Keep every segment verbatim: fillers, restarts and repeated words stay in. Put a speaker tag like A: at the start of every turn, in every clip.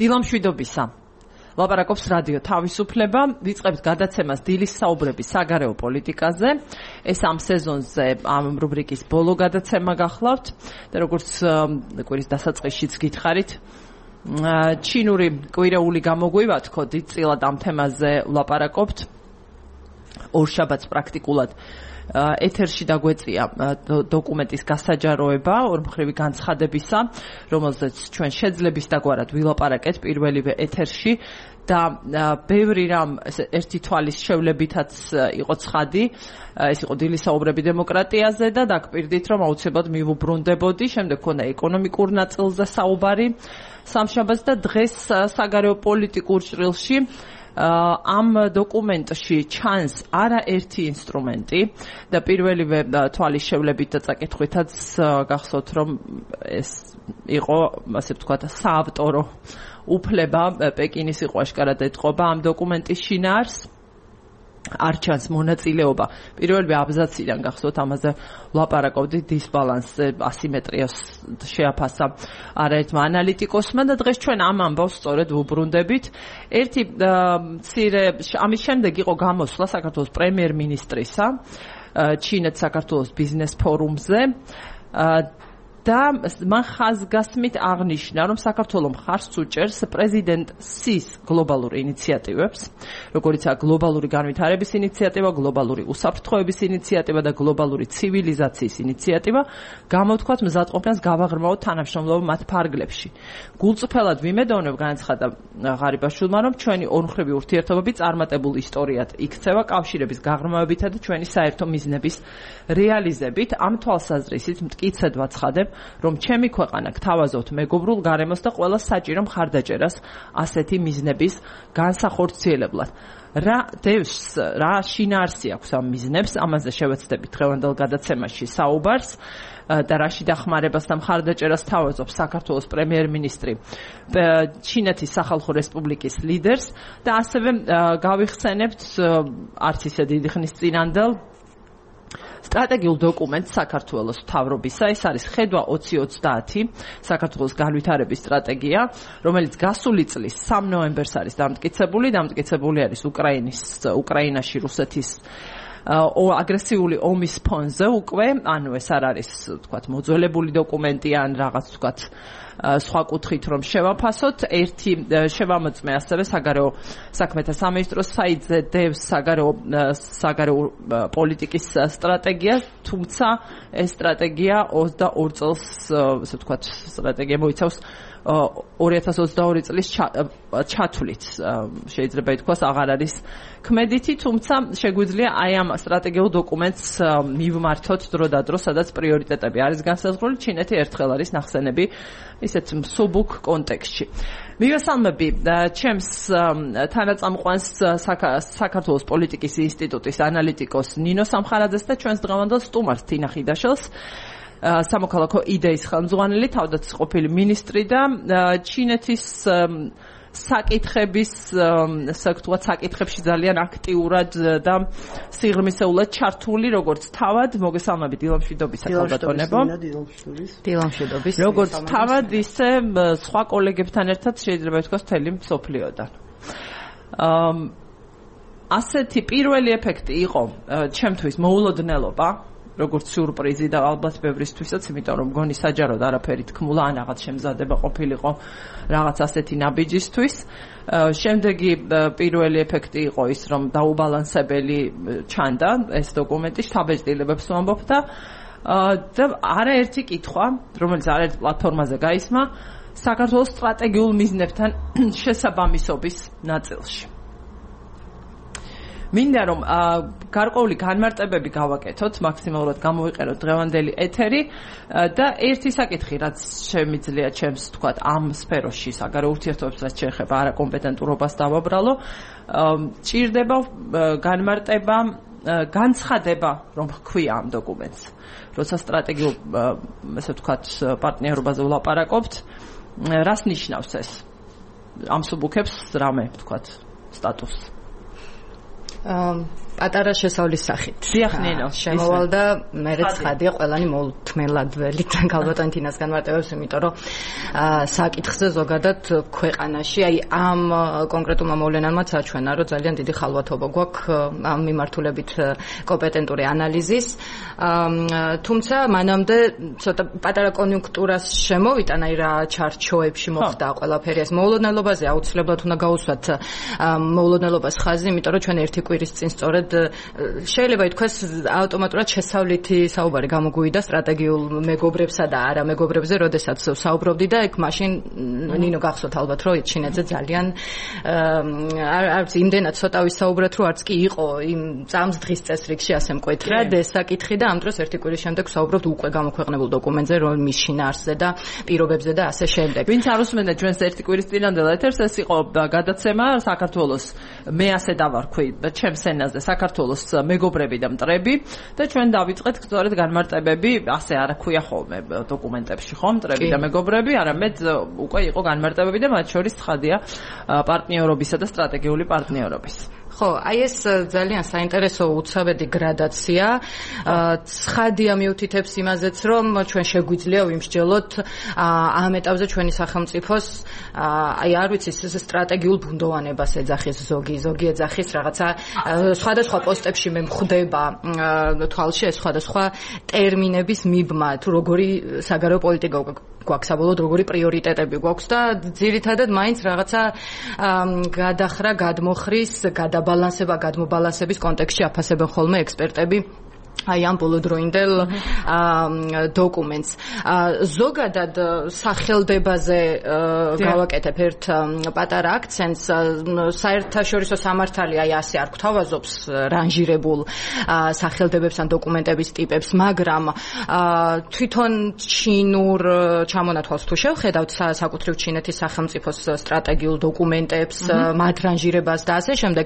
A: დილამშვიდობისა. ლაპარაკობს რადიო თავისუფლება, ვიწყებთ გადაცემას დილის საუბრები საგარეო პოლიტიკაზე. ეს ამ სეზონზე ამ რუბრიკის ბოლო გადაცემა გახლავთ და როგორც კვირის დასაწყისშიც გითხარით, ჩინური კვირეული გამოგვივა თქო, დიდწილად ამ თემაზე ლაპარაკობთ. ორშაბათს პრაქტიკულად ეთერში დაგვეწია დოკუმენტის გასაჯაროება ორმხრივი განცხადებისა, რომელზეც ჩვენ შეძლებს დაგვარად ვილაპარაკეთ პირველივე ეთერში და ბევრი რამ ერთი თვალის შევლებითაც იყო ცხადი. ეს იყო დილის საუბრები დემოკრატიაზე და დაგპირდით, რომ აუცილებლად მივუბრუნდებოდი. შემდეგ ქონდა ეკონომიკურ ნაწილზე საუბარი სამშაბათს და დღეს საგარეო პოლიტიკურ ჭრილში ამ დოკუმენტში ჩანს არაერთი ინსტრუმენტი და პირველივე თვალის შევლებით და წაკითხვითაც გახსოვთ, რომ ეს იყო, ასე ვთქვათ, საავტორო უფლება პეკინის იყო აშკარად ეტყობა ამ დოკუმენტის შინაარს. არ ჩანს მონაწილეობა პირველივე აბზაციდან, გახსოვთ, ამაზე ვლაპარაკობდი, დისბალანსზე, ასიმეტრიას შეაფასა არაერთმა ანალიტიკოსმა და დღეს ჩვენ ამ ამბავს სწორედ ვუბრუნდებით. ერთი მცირე ამის შემდეგ იყო გამოსვლა საქართველოს პრემიერ-მინისტრისა ჩინეთ საქართველოს ბიზნეს ფორუმზე და მან ხაზგასმით აღნიშნა, რომ საქართველოს მხარს უჭერს პრეზიდენტ სის გლობალურ ინიციატივებს, როგორიცაა გლობალური განვითარების ინიციატივა, გლობალური უსაფრთხოების ინიციატივა და გლობალური ცივილიზაციის ინიციატივა, გამოთქვათ მზადყოფნას გავაღრმავოთ თანამშრომლობა მათ ფარგლებში. გულწრფელად ვიმედოვნებ, განაცხადა ღარიბაშვილმა, რომ ჩვენი ორმხრივი ურთიერთობები წარმატებულ ისტორიად იქცევა კავშირების გაღრმავებითა და ჩვენი საერთო მიზნების რეალიზებით. ამ თვალსაზრისით მტკიცედ ვაცხადებ, რომ ჩემი ქვეყანა გთავაზობთ მეგობრულ გარემოს და ყველა საჭირო მხარდაჭერას ასეთი მიზნების განსახორციელებლად. რა დევს, რა შინაარსი აქვს ამ მიზნებს, ამაზე შევეცდებით დღევანდელ გადაცემაში საუბარს და რაში დახმარებას და მხარდაჭერას თავაზობს საქართველოს პრემიერ-მინისტრი ჩინეთის სახალხო რესპუბლიკის ლიდერს და ასევე გავიხსენებთ არც ისე დიდი ხნის წინანდელ სტრატეგიულ დოკუმენტს საქართველოს მთავრობისა. ეს არის ხედვა ოცი ოცდაათი საქართველოს განვითარების სტრატეგია, რომელიც გასული წლის სამი ნოემბერს არის დამტკიცებული. დამტკიცებული არის უკრაინის უკრაინაში რუსეთის აგრესიული ომის ფონზე უკვე, ანუ ეს არ არის, თქვათ, მოძველებული დოკუმენტი ან რაღაც, თქვათ, სხვა კუთხით რომ შევაფასოთ. ერთი შევამოწმე ასევე საგარეო საქმეთა სამინისტროს საიტზე დევს საგარეო საგარეო პოლიტიკის სტრატეგია, თუმცა ეს სტრატეგია ოცდაორ წელს, ასე ვთქვათ, სტრატეგია მოიცავს ორი ათას ოცდაორი წლის ჩათვლით, შეიძლება ითქვას, აღარ არის ქმედითი, თუმცა შეგვიძლია აი ამ სტრატეგიულ დოკუმენტს მივმართოთ დროდადრო, სადაც პრიორიტეტები არის განსაზღვრული. ჩინეთი ერთხელ არის ნახსენები ისეთ მსუბუქ კონტექსტში. მივესალმები ჩემს თანაწამყვანს საქართველოს პოლიტიკის ინსტიტუტის ანალიტიკოს ნინო სამხარაძეს და ჩვენს დღევანდელ სტუმარს თინა ხიდაშელს, სამოქალაქო იდეის ხელმძღვანელი, თავდაცვის მინისტრი და ჩინეთის საკითხების, საკუთრივად საკითხებში ძალიან აქტიურად და სიღრმისეულად ჩართული, როგორც თავად, მოგესალმებით, დილამშვიდობისა ქალბატონებო.
B: დილამშვიდობის.
A: როგორც თავად, ისე სხვა კოლეგებთან ერთად შეიძლება ითქვას მთელი მსოფლიოდან. ასეთი პირველი ეფექტი იყო ჩემთვის მოულოდნელობა, როგორც სიურპრიზი და ალბათ ბევრისთვისაც, იმიტომ რომ მგონი საჯაროდ არაფერი თქმულა, ან რაღაც შემზადება ყოფილიყო რაღაც ასეთი ნაბიჯისთვის. შემდეგი პირველი ეფექტი იყო ის, რომ დაუბალანსებელი ჩანდა ეს დოკუმენტი, შთაბეჭდილებებს ვამბობ და და არაერთი კითხვა, რომელიც არაერთ პლატფორმაზე გაისმა, საქართველოს სტრატეგიულ მიზნებთან შესაბამისობის ნაწილში. მინდა რომ გარკვეული განმარტებები გავაკეთოთ, მაქსიმალურად გამოვიყენოთ დღევანდელი ეთერი და ერთი საკითხი, რაც შემიძლია ჩემს, თქვათ, ამ სფეროში საგარეო ურთიერთობებს, რაც შეეხება არაკომპეტენტურობას დავაბრალო, ჭირდება განმარტება, განცხადება, რომ ჰქვია ამ დოკუმენტს. როცა სტრატეგიულ, ასე ვთქვათ, პარტნიორობაზე ვლაპარაკობთ, რას ნიშნავს ეს? ამსუბუქებს რამე, ვთქვათ, სტატუსს.
B: პატარა შესავლის სახით.
A: დიახ, ნინო.
B: შემოვალ და მერეც ხადია ყველანი მოუთმელად ველიდან ქალბატონი თინას განმარტებებს, იმიტომ რომ საკითხზე ზოგადად ქვეყანაში, აი ამ კონკრეტულმა მოვლენამ საჩვენა, რომ ძალიან დიდი ხალვათობა გვაქვს ამ მიმართულებით კომპეტენტური ანალიზის. თუმცა მანამდე ცოტა პატარა კონიუნქტურას შემოვიტან, აი რა ჩარჩოებში მოხდა ყველაფერი ეს მოულოდნელობაზე აუცილებლად უნდა გაუსვათ მოულოდნელობას ხაზი, იმიტომ რომ ჩვენ ერთი კვირის წინ სწორედ შეიძლება ითქვას ავტომატურად შესავლითი საუბარი გამოგვივიდა სტრატეგიულ მეგობრებსა და არა მეგობრებზე, როდესაც საუბრობდი და ეგ მაშინ ნინო გახსოვთ ალბათ რომ ჩინეთზე ძალიან არც იმდენად ცოტა ვისაუბრეთ რომ არც კი იყო იმ წამს დღის წესრიგში ასე მკვეთრად ეს საკითხი და ამ დროს ერთი კვირის შემდეგ საუბრობთ უკვე გამოქვეყნებულ დოკუმენტზე რომ მის შინაარსზე და პირობებზე და ასე შემდეგ.
A: ვინც არ უსმენდა ჩვენს ერთი კვირის წინანდელ ეთერს ეს იყო გადაცემა საქართველოს მე ასე დავარქვი ჩემს ენაზე საქართველოს მეგობრები და მტრები და ჩვენ დავიწყეთ სწორედ განმარტებები ასე არ ქვია ხოლმე დოკუმენტებში ხო მტრები და მეგობრები არამედ უკვე იყო განმარტებები და მათ შორის ცხადია პარტნიორობისა და სტრატეგიული პარტნიორობის.
B: ხო, აი ეს ძალიან საინტერესო უცაბედი გრადაცია. ცხადია მიუთითებს იმაზეც, რომ ჩვენ შეგვიძლია ვიმსჯელოთ ამ ეტაპზე ჩვენი სახელმწიფოს აი არ ვიცი სტრატეგიულ ბუნდოვანებას ეძახის ზოგი, ზოგი ეძახის რაღაცა სხვადასხვა პოსტებში მე მხვდება თვალში ეს სხვადასხვა ტერმინების მიბმა, თუ როგორი საგარეო პოლიტიკა გვაქვს საბოლოოდ როგორი პრიორიტეტები გვაქვს და ძირითადად მაინც რაღაცა გადახრა, გადმოხრის, გადაბალანსება, გადმობალანსების კონტექსტში აფასებენ ხოლმე ექსპერტები აი ამ ბოლოდროინდელ დოკუმენტს. ზოგადად სახელდებაზე გავაკეთებ ერთ პატარა აქცენტს. საერთაშორისო სამართალი აი ასე არ გვთავაზობს რანჟირებულ სახელდებებს ან დოკუმენტების ტიპებს, მაგრამ თვითონ ჩინურ ჩამონათვალს თუ შევხედავთ საკუთრივ ჩინეთის სახელმწიფოს სტრატეგიულ დოკუმენტებს, მათ რანჟირებას და ასე შემდეგ,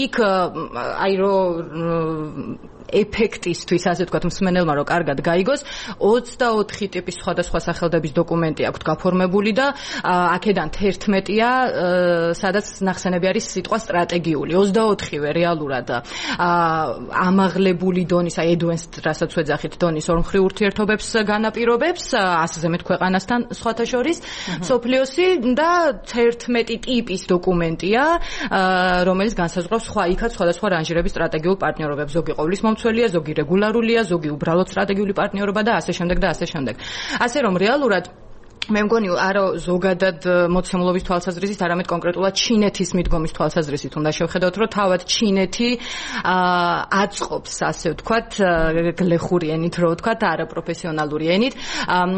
B: იქ აი რომ ეფექტისთვის ასე ვთქვათ მსმენელმა რომ კარგად გაიგოს ოცდაოთხი ტიპის სხვადასხვა სახელდების დოკუმენტი აქვს გაფორმებული და აქედან თერთმეტია სადაც ნახსენები არის სიტყვა სტრატეგიული ოცდაოთხივე რეალურად ამაღლებული დონის აი advanced რასაც ვეძახით დონის ორმხრივ ურთიერთობებს განაპირობებს ასზე მეტ ქვეყანასთან სხვათა შორის სოფლიოსი და თერთმეტი ტიპის დოკუმენტია რომელიც განსაზღვრავს სხვა იქაც სხვადასხვა რანჟირების სტრატეგიულ პარტნიორობებს ზოგი ყოვლის მცველია, ზოგი რეგულარულია, ზოგი უბრალოდ სტრატეგიული პარტნიორობა და ასე შემდეგ და ასე შემდეგ. ასე რომ რეალურად მე მგონი არა ზოგადად მოცემულობის თვალსაზრისით, არამედ კონკრეტულად ჩინეთის მიდგომის თვალსაზრისით უნდა შევხედოთ, რომ თავად ჩინეთი აწყობს, ასე ვთქვათ, გლეხური ენით, რო ვთქვათ, არაპროფესიონალური ენით,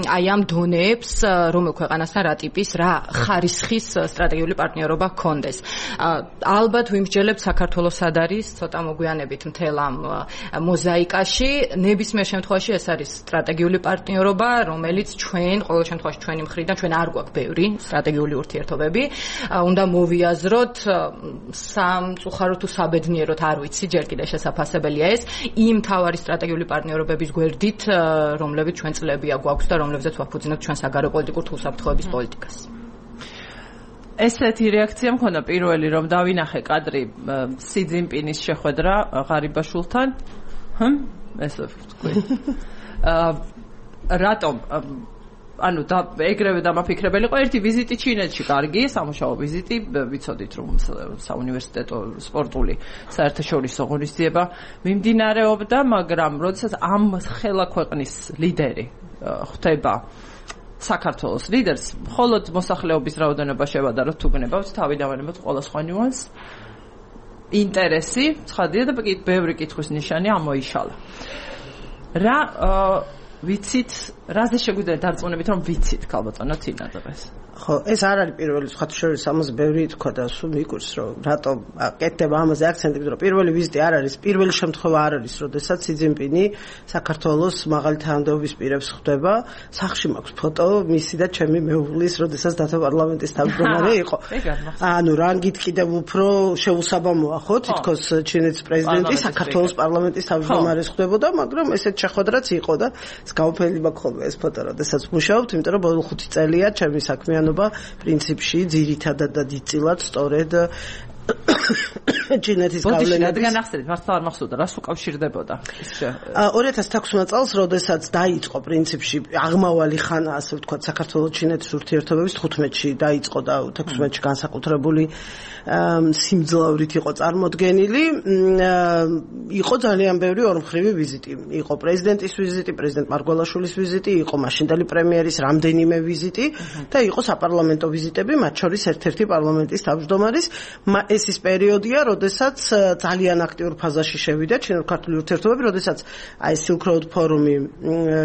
B: აი ამ დონეებს, რომელ ქვეყანასთან რა ტიპის, რა ხარისხის სტრატეგიული პარტნიორობა ჰქონდეს. ალბათ ვიმსჯელებთ საქართველოს სად არის, ცოტა მოგვიანებით მთელ ამ მოზაიკაში, ნებისმიერ შემთხვევაში ეს არის სტრატეგიული პარტნიორობა, რომელიც ჩვენ ყოველ შემთხვევაში ჩვენ მხრიდან ჩვენ არ გვაქვს ბევრი სტრატეგიული ურთიერთობები. უნდა მოვიაზროთ სამწუხაროდ თუ საბედნიეროდ არ ვიცი, ჯერ კიდევ შესაძლებელია ეს იმ თავარი სტრატეგიული პარტნიორობების გვერდით, რომლებიც ჩვენ წლებია გვაქვს და რომლებზეც ვაფუძნებთ ჩვენ საგარეო პოლიტიკურ თუ უსაფრთხოების პოლიტიკას.
A: ესეთი რეაქცია მქონდა პირველი რომ დავინახე კადრი სი ძინპინის შეხვედრა ღარიბაშვილთან. ჰმ ესე ვთქვი. რატომ ანუ და ეგრევე დამაფიქრებელი იყო ერთი ვიზიტი ჩინეთში, კარგი, სამუშაო ვიზიტი, ვიცოდით რომ საუნივერსიტეტო სპორტული საერთაშორისო ღონისძიება მიმდინარეობდა, მაგრამ როდესაც ამ ხელა ქვეყნის ლიდერი ხდება საქართველოს ლიდერს, მხოლოდ მოსახლეობის რაოდენობა შევადაროთ თუ გნებავთ, თავი დავანებოთ ყველა სხვა ნიუანს. ინტერესი, ცხადია და ბევრი კითხვის ნიშანი ამოიშალა. რა ვიცით, რაზე შეგვიძლია დარწმუნებით, რომ ვიცით ქალბატონო თინა დღეს?
C: ხო, ეს არ არის პირველი სხვათა შორის ამაზე ბევრი თქვა და სულ მიგურს, რომ რატომ კეთდება ამაზე აქცენტი, რომ პირველი ვიზიტი არ არის, პირველი შემთხვევა არ არის, როდესაც სი ძინპინი საქართველოს მაღალი თანამდებობის პირებს ხვდება. სახში მაქვს ფოტო მისი და ჩემი მეუღლის, როდესაც დათა პარლამენტის თავმჯდომარე იყო. ანუ რანგით კიდევ უფრო შეუსაბამოა, ხო, თითქოს ჩინეთის პრეზიდენტი საქართველოს პარლამენტის თავმჯდომარეს ხვდებოდა, მაგრამ ესეთ შეხვედრაც იყო და გავფელი მაქვს ხოლმე ეს ფოტო, როდესაც მუშაობთ, იმიტომ რომ ბოლო ხუთი წელია ჩემი საქმიანობა პრინციპში ძირითადად და დიდწილად სწორედ ჩინეთის გავლენით.
A: რადგან ახსენეთ, მართლა არ მახსოვდა, რას უკავშირდებოდა ის?
C: ორი ათას თექვსმეტ წელს, როდესაც დაიწყო პრინციპში აღმავალი ხანა, ასე ვთქვათ, საქართველოს-ჩინეთის ურთიერთობების თხუთმეტში დაიწყო და თექვსმეტში განსაკუთრებული სიმძლავრით იყო წარმოდგენილი. იყო ძალიან ბევრი ორმხრივი ვიზიტი. იყო პრეზიდენტის ვიზიტი, პრეზიდენტ მარგველაშვილის ვიზიტი, იყო მაშინდელი პრემიერის რამდენიმე ვიზიტი და იყო საპარლამენტო ვიზიტები, მათ შორის ერთ-ერთი პარლამენტის თავმჯდომარის. ეს ის პერიოდია, როდესაც ძალიან აქტიურ ფაზაში შევიდა ჩინურ-ქართული ურთიერთობები, როდესაც აი Silk Road ფორუმი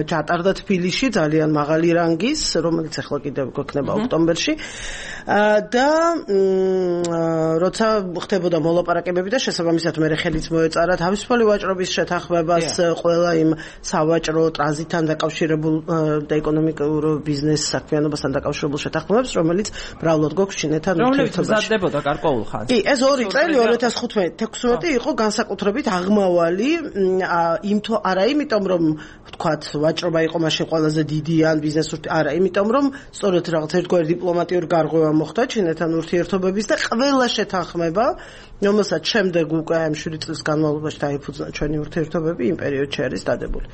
C: ჩატარდა თბილისში, ძალიან მაღალი რანგის, რომელიც ახლა კიდევ გვექნება ოქტომბერში. და როცა ხდებოდა მოლაპარაკებები და შესაბამისად მე ხელიც მოეწარა თავისუფალი ვაჭრობის შეთანხმებას, ყველა იმ სავაჭრო ტრანზიტთან დაკავშირებულ და ეკონომიკურ ბიზნეს საქმიანობასთან დაკავშირებულ შეთანხმებებს, რომელიც ბრალოდ გვაქვს ჩინეთთან
A: ურთიერთობაში. რომლებიც მზადდებოდა გარკვეულ ხანს.
C: კი, ეს ორი წელი ორი ათას თხუთმეტ თექვსმეტი იყო განსაკუთრებით აღმავალი, იმთო არა იმიტომ რომ ვთქვათ ვაჭრობა იყო მაშინ ყველაზე დიდი ან ბიზნესი არა, იმიტომ რომ სწორედ რაღაც ერთგვარი დიპლომატიური გარღვევა მოხდა ჩინეთთან ურთიერთობების და ყველა შეთანხმება, რომელსაც შემდეგ უკვე ამ შვიდი წლის განმავლობაში დაიფუძნა ჩვენი ურთიერთობები იმ პერიოდში არის დადებული.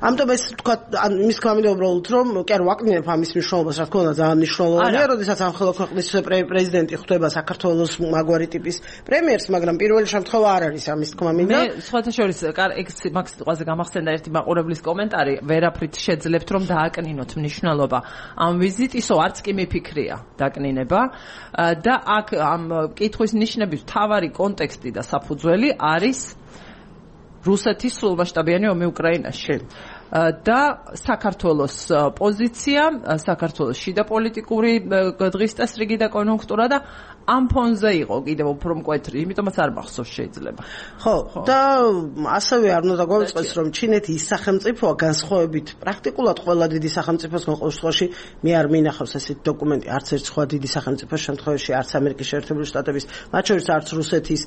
C: ამიტომ ეს ვთქვათ, ან იმის გამო უბრალოდ რომ კი არ ვაკნინებ ამის მნიშვნელობას, რა თქმა უნდა ძალიან მნიშვნელოვანია, როდესაც ამ ხელო ქვეყნის პრეზიდენტი ხვდება საქართველოს მაგვარი ტიპის პრემიერს, მაგრამ პირველი შემთხვევა არ არის ამის თქმა მინდა.
A: მე სხვათა შორის ეგ მაგ სიტყვაზე გამახსენდა ერთი მაყურებლის კომენტარი, ვერაფრით შეძლებთ რომ დააკნინოთ მნიშვნელობა ამ ვიზიტისო, არც კი მიფიქრია დაკნინება და აქ ამ კითხვის ნიშნების მთავარი კონტექსტი და საფუძველი არის რუსეთის სრულმასშტაბიანი ომი უკრაინაში. და საქართველოს პოზიცია, საქართველოს შიდა პოლიტიკური დღის წესრიგი და კონjunktūra და ამ ფონზე იყო კიდევ უფრო მკვეთრი, იმიტომაც არ მახსოვს შეიძლება.
C: ხო, და ასევე არ უნდა გვაუწყდეს, რომ ჩინეთი ის სახელმწიფოა განსხვავებით პრაქტიკულად ყველა დიდი სახელმწიფოსგან ყოველ შემთხვევაში მე არ მინახავს ესეთი დოკუმენტი, არც ერთ სხვა დიდი სახელმწიფოს შემთხვევაში, არც ამერიკის შეერთებული შტატების, მათ შორის არც რუსეთის,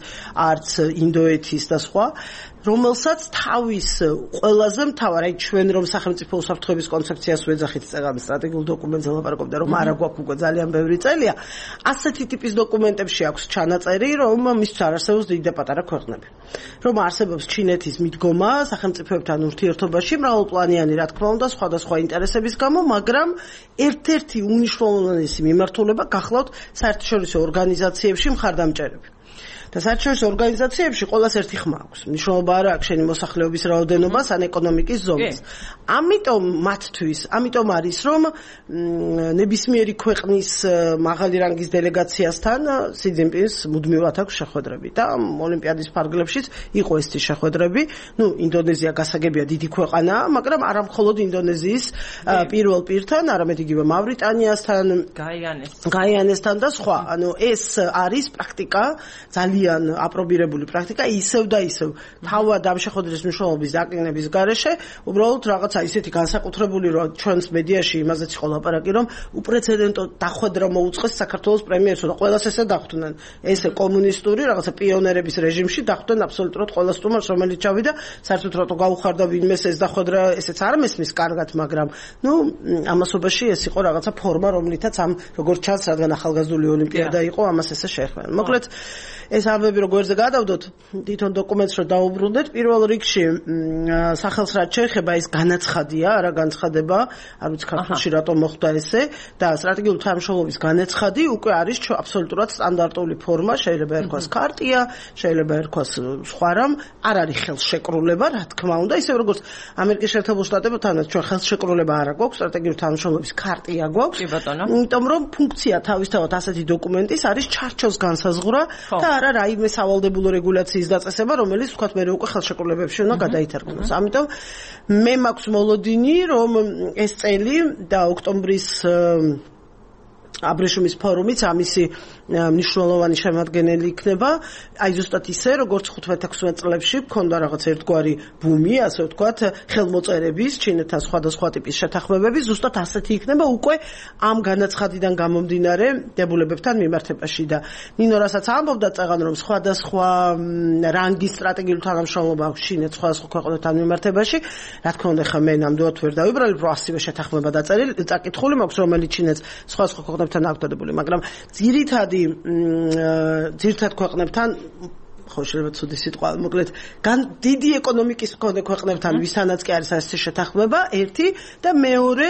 C: არც ინდოეთის და სხვა, რომელსაც თავის ყველაზე მთავარ, აი ჩვენ რომ სახელმწიფო უსაფრთხოების კონცეფციას ვეძახით წეგამ სტრატეგიულ დოკუმენტზე ლაპარაკობდა, რომ არა გვაქვს უკვე ძალიან ბევრი წელია, ასეთი ტიპის დოკუმენტებში აქვს ჩანაწერი, რომ მისთვის არ არსებობს დიდი და პატარა ქვეყნები. რომ არსებობს ჩინეთის მიდგომა სახელმწიფოებთან ურთიერთობაში, მრავალპლანიანი, რა თქმა უნდა, სხვადასხვა ინტერესების გამო, მაგრამ ერთ-ერთი უნიშნულოვანესი მიმართულება გახლავთ საერთაშორისო ორგანიზაციებში მხარდამჭერები. და საერთაშორისო ორგანიზაციებში ყოველას ერთი ხმა აქვს. მნიშვნელობა არა აქვს შენი მოსახლეობის რაოდენობას ან ეკონომიკის ზომას. ამიტომ მათთვის, ამიტომ არის რომ ნებისმიერი ქვეყნის მაღალი რანგის დელეგაციასთან სი ძინპინს მუდმივად აქვს შეხვედრები და ოლიმპიადის ფარგლებშიც იყო ესეთი შეხვედრები. ნუ ინდონეზია გასაგებია დიდი ქვეყანაა, მაგრამ არა მხოლოდ ინდონეზიის პირველ პირთან, არამედ იგივე მავრიტანიასთან, გაიანესთან და სხვა. ანუ ეს არის პრაქტიკა ძალიან აპრობირებული პრაქტიკა, ისევ და ისევ თავად ამ შეხვედრის მნიშვნელობის დაკნინების გარეშე, უბრალოდ რაღაცა ისეთი განსაკუთრებული, რომ ჩვენს მედიაში იმაზეც იყო ლაპარაკი, რომ უპრეცედენტო დახვედრა მოუწყეს საქართველოს პრემიერს და ყველას ესე დახვდნენ. ესე კომუნისტური რაღაცა პიონერების რეჟიმში დახვდნენ აბსოლუტურად ყველა სტუმარს, რომელიც ჩავიდა, საერთოდ რატო გაუხარდა ვინმეს ეს დახვედრა, ესეც არ მესმის კარგად, მაგრამ ნუ ამასობაში ეს იყო რაღაცა ფორმა, რომლითაც ამ როგორც ჩანს, რადგან ახალგაზრდული ოლიმპიადა იყო, ამას ესე შეეხმენ. მოკლედ ეს ამბები როგორზე გადავდოთ თვითონ დოკუმენტს რომ დაუბრუნდეთ, პირველ რიგში სახელს რაც შეეხება ის განაცხადია, არა განცხადება, არ ვიცი ქართულში რატომ მოხდა ესე და სტრატეგიული თანამშრომლობის განაცხადი უკვე არის აბსოლუტურად სტანდარტული ფორმა, შეიძლება ერქვას ქარტია, შეიძლება ერქვას სხვა რამ, არ არის ხელშეკრულება, რა თქმა უნდა, ისე როგორც ამერიკის შეერთებულ შტატებთანაც ჩვენ ხელშეკრულება არ გვაქვს, სტრატეგიული თანამშრომლობის ქარტია გვაქვს, იმიტომ რომ ფუნქცია თავისთავად ასეთი დოკუმენტის არის ჩარჩოს განსაზღვრა და არა რაიმე სავალდებულო რეგულაციის დაწესება, რომელიც ვთქვათ მე უკვე ხელშეკრულებებში უნდა გადაითარგმნოს. ამიტომ მე მაქვს მოლოდინი, რომ ეს წელი და ოქტომბრის აბრეშუმის ფორუმიც ამისი მნიშვნელოვანი შემადგენელი იქნება, აი ზუსტად ისე, როგორც ხუთმეტ თექვსმეტ წლებში გქონდა რაღაც ერთგვარი ბუმი, ასე ვთქვათ, ხელმოწერების, ჩინეთთან სხვადასხვა ტიპის შეთანხმებების, ზუსტად ასეთი იქნება უკვე ამ განაცხადიდან გამომდინარე დებულებებთან მიმართებაში და ნინო რასაც ამბობდა წაღან, რომ სხვადასხვა რანგის სტრატეგიული თანამშრომლობა აქვს ჩინეთს სხვადასხვა ქვეყნებთან მიმართებაში, რა თქმა უნდა, ხა მე ნამდვილად ვერ დავიბრალებ, რომ ასივე შეთანხმება დაწერილი, წაკითხული მაქვს, რომელიც ჩინეთს სხვადასხვა ქვეყნებთან აქვს დადებული, მაგრამ ძირითადი ძირთად ქვეყნებთან ხო შეიძლება ცუდი სიტყვა მოკლედ გან დიდი ეკონომიკის მქონე ქვეყნებთან ვისთანაც კი არის ასეთი შეთანხმება ერთი და მეორე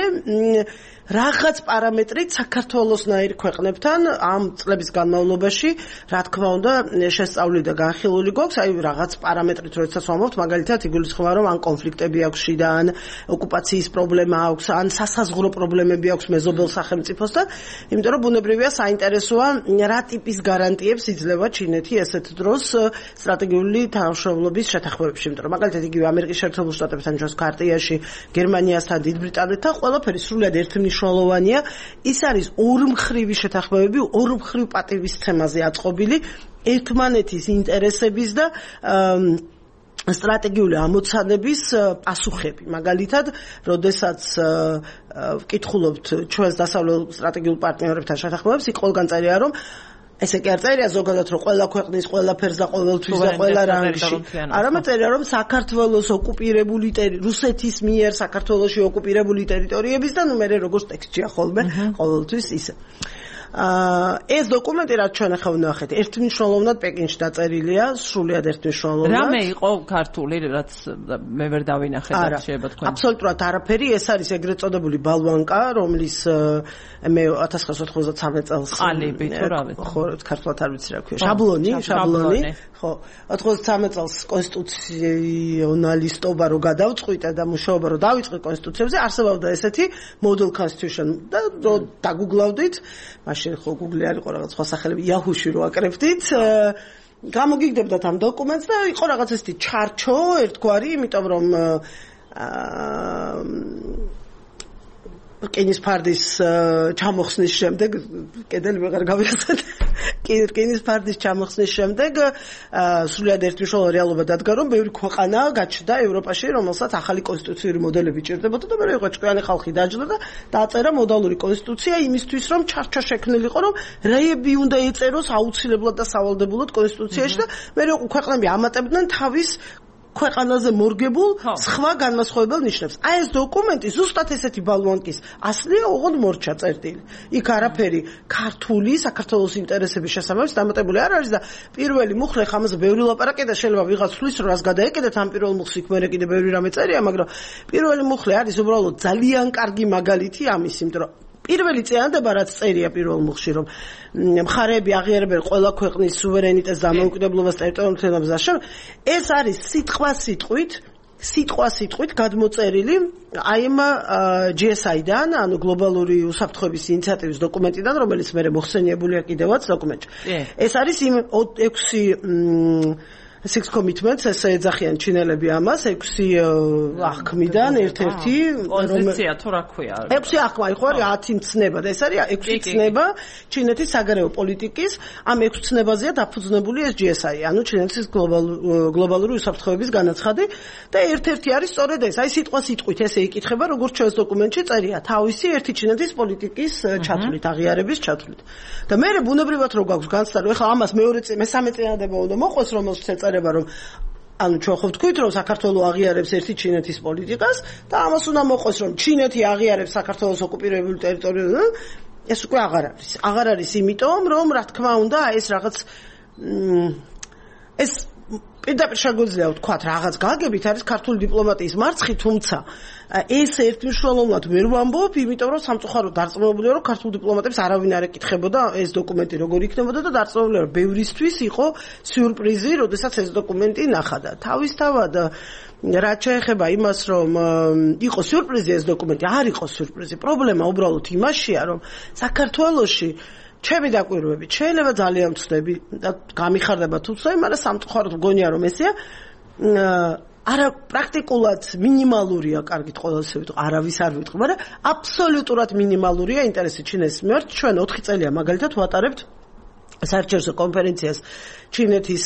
C: რაღაც პარამეტრით საქართველოსნაირ ქვეყნებთან ამ წლების განმავლობაში რა თქმა უნდა შესწავლილი და განხილული გვაქვს აი რაღაც პარამეტრით როდესაც ვამბობთ მაგალითად იგულისხმება რომ ან კონფლიქტები აქვს შიდა ან ოკუპაციის პრობლემა აქვს ან სასაზღვრო პრობლემები აქვს მეზობელ სახელმწიფოსთან იმიტომ რომ ბუნებრივია საინტერესოა რა ტიპის გარანტიებს იძლევა ჩინეთი ესეთ დროს სტრატეგიული თანამშრომლობის შეთანხმებებში იმიტომ რომ მაგალითად იგივე ამერიკის შეერთებულ შტატებთან ჩვენს ქარტიაში გერმანიასთან დიდ ბრიტანეთთან ყველაფერი სრულად ერთმნიშვნელოვანია ის არის ორმხრივი შეთანხმებები ორმხრივ პატივისცემაზე აწყობილი ერთმანეთის ინტერესების და სტრატეგიული ამოცანების პასუხები მაგალითად როდესაც ვკითხულობთ ჩვენს დასავლელ სტრატეგიულ პარტნიორებთან შეთანხმებებს იქ ყველგან წერია რომ ესე კი არ წერია ზოგადად რომ ყველა ქვეყნის ყველაფერს და ყოველთვის და ყველა რანგში არამედ წერია რომ საქართველოს ოკუპირებული რუსეთის მიერ საქართველოში ოკუპირებული ტერიტორიების და ნუ მე როგორც ტექსტია ხოლმე ყოველთვის ისე ეს დოკუმენტი რაც ჩვენ ახლა ვნახეთ ერთმნიშვნელოვნად პეკინში დაწერილია სრულიად ერთმნიშვნელოვნად
A: რამე იყო ქართული რაც მე ვერ დავინახე და შეიძლება თქვენ
C: აბსოლუტურად არაფერი ეს არის ეგრეთ წოდებული ბალვანკა რომლის მე ათას ცხრაასი ოთხმოცდათსამეტ წელს
A: ყალიბი თუ რა ვიცი
C: ხო ქართულად არ ვიცი რა ქვია შაბლონი შაბლონი ხო ოთხმოცდათსამეტ წელს კონსტიტუციონალისტობა რო გადავწყვიტა და მუშაობა რო დავიწყე კონსტიტუციებზე არსებობდა ესეთი model constitution და დაგუგლავდით მაშინ ხო Google-ი არ იყო რაღაც სხვა სახელები Yahoo-ში რო აკრებდით გამოგიგდებდათ ამ დოკუმენტს და იყო რაღაც ესეთი ჩარჩო ერთგვარი იმიტომ რომ კენის ფარდის ჩამოხსნის შემდეგ კედელი ვეღარ გავიხსენე კენის ფარდის ჩამოხსნის შემდეგ სრულიად ერთმნიშვნელოვანი რეალობა დადგა რომ ბევრი ქვეყანა გაჩნდა ევროპაში რომელსაც ახალი კონსტიტუციური მოდელები ჭირდებოდა და მე იყო ჭკვიანი ხალხი დაჯდა და დაწერა მოდალური კონსტიტუცია იმისთვის რომ ჩარჩო შექმნილიყო რომ რეები უნდა ეწეროს აუცილებლად და სავალდებულოდ კონსტიტუციაში და მე ქვეყნები ამატებდნენ თავის ქვეყანაზე მორგებულ სხვა განმასხვავებელ ნიშნებს. აი ეს დოკუმენტი ზუსტად ესეთი ბალვანკის ასლია ოღონდ მორჩა წერტილი. იქ არაფერი ქართული საქართველოს ინტერესების შესაბამისად დამატებული არ არის და პირველი მუხლე ხამაზე ბევრი ლაპარაკია და შეიძლება ვიღაც თulis რომ რას გადაეკიდეთ ამ პირველ მუხლს იქ მერე კიდე ბევრი რამე წერია, მაგრამ პირველი მუხლე არის უბრალოდ ძალიან კარგი მაგალითი ამის, იმიტომ რომ პირველი წინადადება რაც წერია პირველ მუხლში რომ მხარეები აღიარებენ ყველა ქვეყნის სუვერენიტეტს და დამოუკიდებლობას ტერიტორიულ თემებზე ეს არის სიტყვა სიტყვით სიტყვა სიტყვით გადმოწერილი აი ამ ჯი ეს აი-დან ანუ გლობალური უსაფრთხოების ინიციატივის დოკუმენტიდან რომელიც მე მოხსენიებულია კიდევაც დოკუმენტში ეს არის იმ ექვსი six commitments ესე ეძახიან ჩინელები ამას ექვსი აღქმიდან ერთ-ერთი
A: პოზიცია თუ რა ქვია
C: ექვსი აღქმა იყო არის ათი მცნება და ეს არის ექვსი ცნება ჩინეთის საგარეო პოლიტიკის ამ ექვსი ცნებაზეა დაფუძნებული ეს ჯი ეს აი ანუ ჩინეთის გლობალური უსაფრთხოების განაცხადი და ერთ-ერთი არის სწორედ ეს აი სიტყვა სიტყვით ესე იკითხება როგორც ჩვენს დოკუმენტში წერია თავისი ერთი ჩინეთის პოლიტიკის ჩათვლით აღიარების ჩათვლით და მე ბუნებრივად რო გაქვს განცდა რომ ეხლა ამას მეორე მესამე წინადადება უნდა მოყვეს რომელშიც ეწერება რომ ანუ ჩვენ ხო ვთქვით რომ საქართველოს აღიარებს ერთი ჩინეთის პოლიტიკას და ამას უნდა მოყვეს რომ ჩინეთი აღიარებს საქართველოს ოკუპირებულ ტერიტორიაზე ეს უკვე აღარ არის აღარ არის იმიტომ რომ რა თქმა უნდა ეს რაღაც ეს პირდაპირ შეგვიძლია ვთქვათ რაღაც გაგებით არის ქართული დიპლომატიის მარცხი თუმცა ეს ერთმნიშვნელოვნად ვერ ვამბობ იმიტომ რომ სამწუხაროდ დარწმუნებულია რომ ქართულ დიპლომატებს არავინ არ ეკითხებოდა ეს დოკუმენტი როგორ იქნებოდა და დარწმუნებულია რომ ბევრისთვის იყო სიურპრიზი როდესაც ეს დოკუმენტი ნახა თავისთავად რაც შეეხება იმას რომ იყო სიურპრიზი ეს დოკუმენტი არ იყო სიურპრიზი პრობლემა უბრალოდ იმაშია რომ საქართველოში ჩემი დაკვირვებით შეიძლება ძალიან ვწდები და გამიხარდება თუცაი, მაგრამ სამწუხაროდ მგონია რომ ესეა არა პრაქტიკულად მინიმალურია, კარგით ყველასე ვიტყვი, არავის არ ვიტყვი, მაგრამ აბსოლუტურად მინიმალურია ინტერესი ჩინეთის მიმართ. ჩვენ ოთხი წელია მაგალითად ვატარებთ საერთაშორისო კონფერენციას ჩინეთის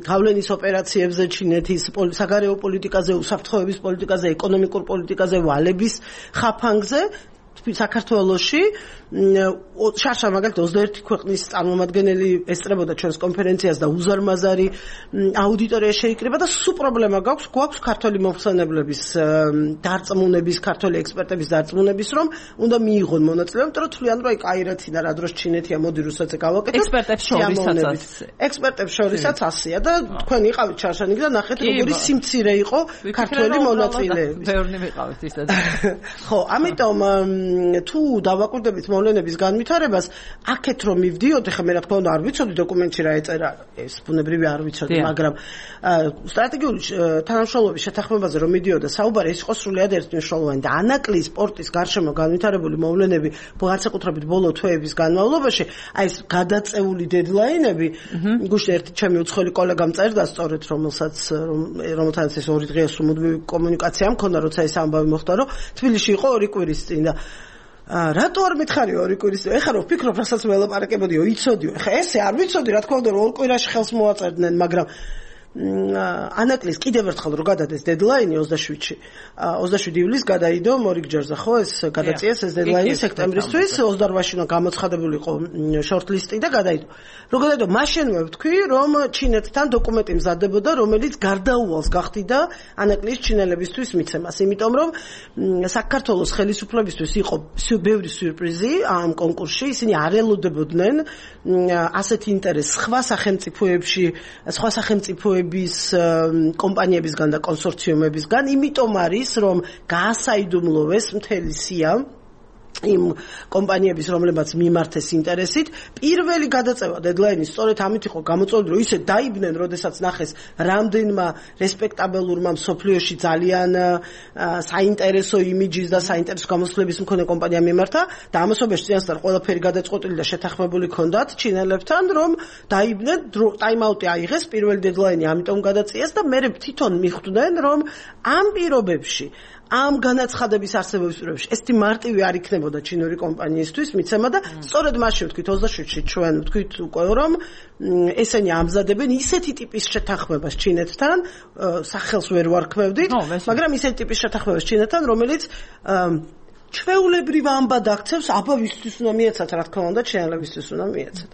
C: გავლენის ოპერაციებზე, ჩინეთის საგარეო პოლიტიკაზე, უსაფრთხოების პოლიტიკაზე, ეკონომიკურ პოლიტიკაზე, ვალების ხაფანგზე საქართველოში შარშან მაგალითად ოცდაერთი ქვეყნის წარმომადგენელი ესწრებოდა ჩვენს კონფერენციას და უზარმაზარი აუდიტორია შეიკრიბა და სულ პრობლემა გაქვს გვაქვს ქართული მომხსენებლების დარწმუნების ქართული ექსპერტების დარწმუნების რომ უნდა მიიღონ მონაწილეობა იმიტომ რომ თვლიან რომ აი კაირათინა რა დროს ჩინეთია მოდი რუსეთზე გავაკეთოთ
A: ექსპერტებს შორისაც
C: ექსპერტებს შორისაც ასია და თქვენ იყავით შარშანიკი და ნახეთ როგორი სიმცირე იყო ქართული მონაწილეების
A: ბევრი ვიყავით ისეთ
C: ხო ამიტომ თუ დავაკვირდებით მოვლენების განვითარებას, აქეთ რომ მივდიოდ, ეხლა მე რა თქმა უნდა არ ვიცოდი დოკუმენტში რა ეწერა, ეს ბუნებრივი არ ვიცოდი, მაგრამ სტრატეგიული თანამშრომლობის შეთანხმებაზე რომ მიდიოდა საუბარი, ეს იყო სრულიად ერთმნიშვნელოვანი და ანაკლის სპორტის გარშემო განვითარებული მოვლენები, განსაკუთრებით ბოლო თვეების განმავლობაში, აი ეს გადაწეული დედლაინები, გუშინ ერთი ჩემი უცხოელი კოლეგამ წერდა სწორედ, რომელსაც რომელთანაც ეს ორი დღეა სრულ კომუნიკაცია მქონდა, როცა ეს ამბავი მოხდა, რომ თბილისში იყო ორი კვირის წინ და რატო არ მითხარიო ორი კვირის წინ? ეხლა რომ ვფიქრობ, რასაც ველაპარაკებოდიო, იცოდიო. ეხლა ესე არ ვიცოდი, რა თქმა უნდა, რომ ორ კვირაში ხელს მოაწერდნენ, მაგრამ ანაკლის კიდევ ერთხელ რო გადადეს დედლაინი ოცდაშვიდში ოცდაშვიდი ივლისს გადაიდო მორიგჯერზე ხო ეს გადაწიეს ეს დედლაინი სექტემბრისთვის ოცდაოთხში უნდა გამოცხადებული იყო შორტლისტი და გადაიდო რო გადაიდო მაშინვე ვთქვი რომ ჩინეთთან დოკუმენტი მზადდებოდა რომელიც გარდაუვალს გახდიდა ანაკლის ჩინელებისთვის მიცემას იმიტომ რომ საქართველოს ხელისუფლებისთვის იყო ბევრი სიურპრიზი ამ კონკურსში ისინი არ ელოდებოდნენ ასეთ ინტერესს სხვა სახელმწიფოებში სხვა სახელმწიფოებში bis კომპანიებისგან და კონსორციუმებისგან, იმიტომ არის, რომ გაასაიდუმლოვეს მთელი სია იმ კომპანიების, რომლებაც მიმართეს ინტერესით, პირველი გადაწევა დედლაინის სწორედ ამით იყო გამოწვეული, რომ ისე დაიბნენ, როდესაც ნახეს რამდენმა რესპექტაბელურმა მსოფლიოში ძალიან საინტერესო იმიჯის და საინტერესო გამოსვლების მქონე კომპანია მიმართა და ამასობაში წინასწარ ყველაფერი გადაწყვეტილი და შეთანხმებული ჰქონდათ ჩინელებთან, რომ დაიბნენ, ტაიმაუტი აიღეს, პირველი დედლაინი ამიტომ გადაწიეს და მე თვითონ მიხვდნენ, რომ ამ პირობებში ამ განაცხადების არსებობის პირობებში ეს მარტივი არ იქნებოდა ჩინური კომპანიისთვის მიცემა და სწორედ მაშინ ვთქვით ოცდაშვიდში ჩვენ ვთქვით უკვე რომ ესენი ამზადებენ ისეთი ტიპის შეთანხმებას ჩინეთთან სახელს ვერ ვარქმევდით მაგრამ ისეთი ტიპის შეთანხმებას ჩინეთთან რომელიც ჩვეულებრივ ამბად აქცევს აბა ვისთვის უნდა მიეცათ რა თქმა უნდა ჩინელებისთვის უნდა მიეცათ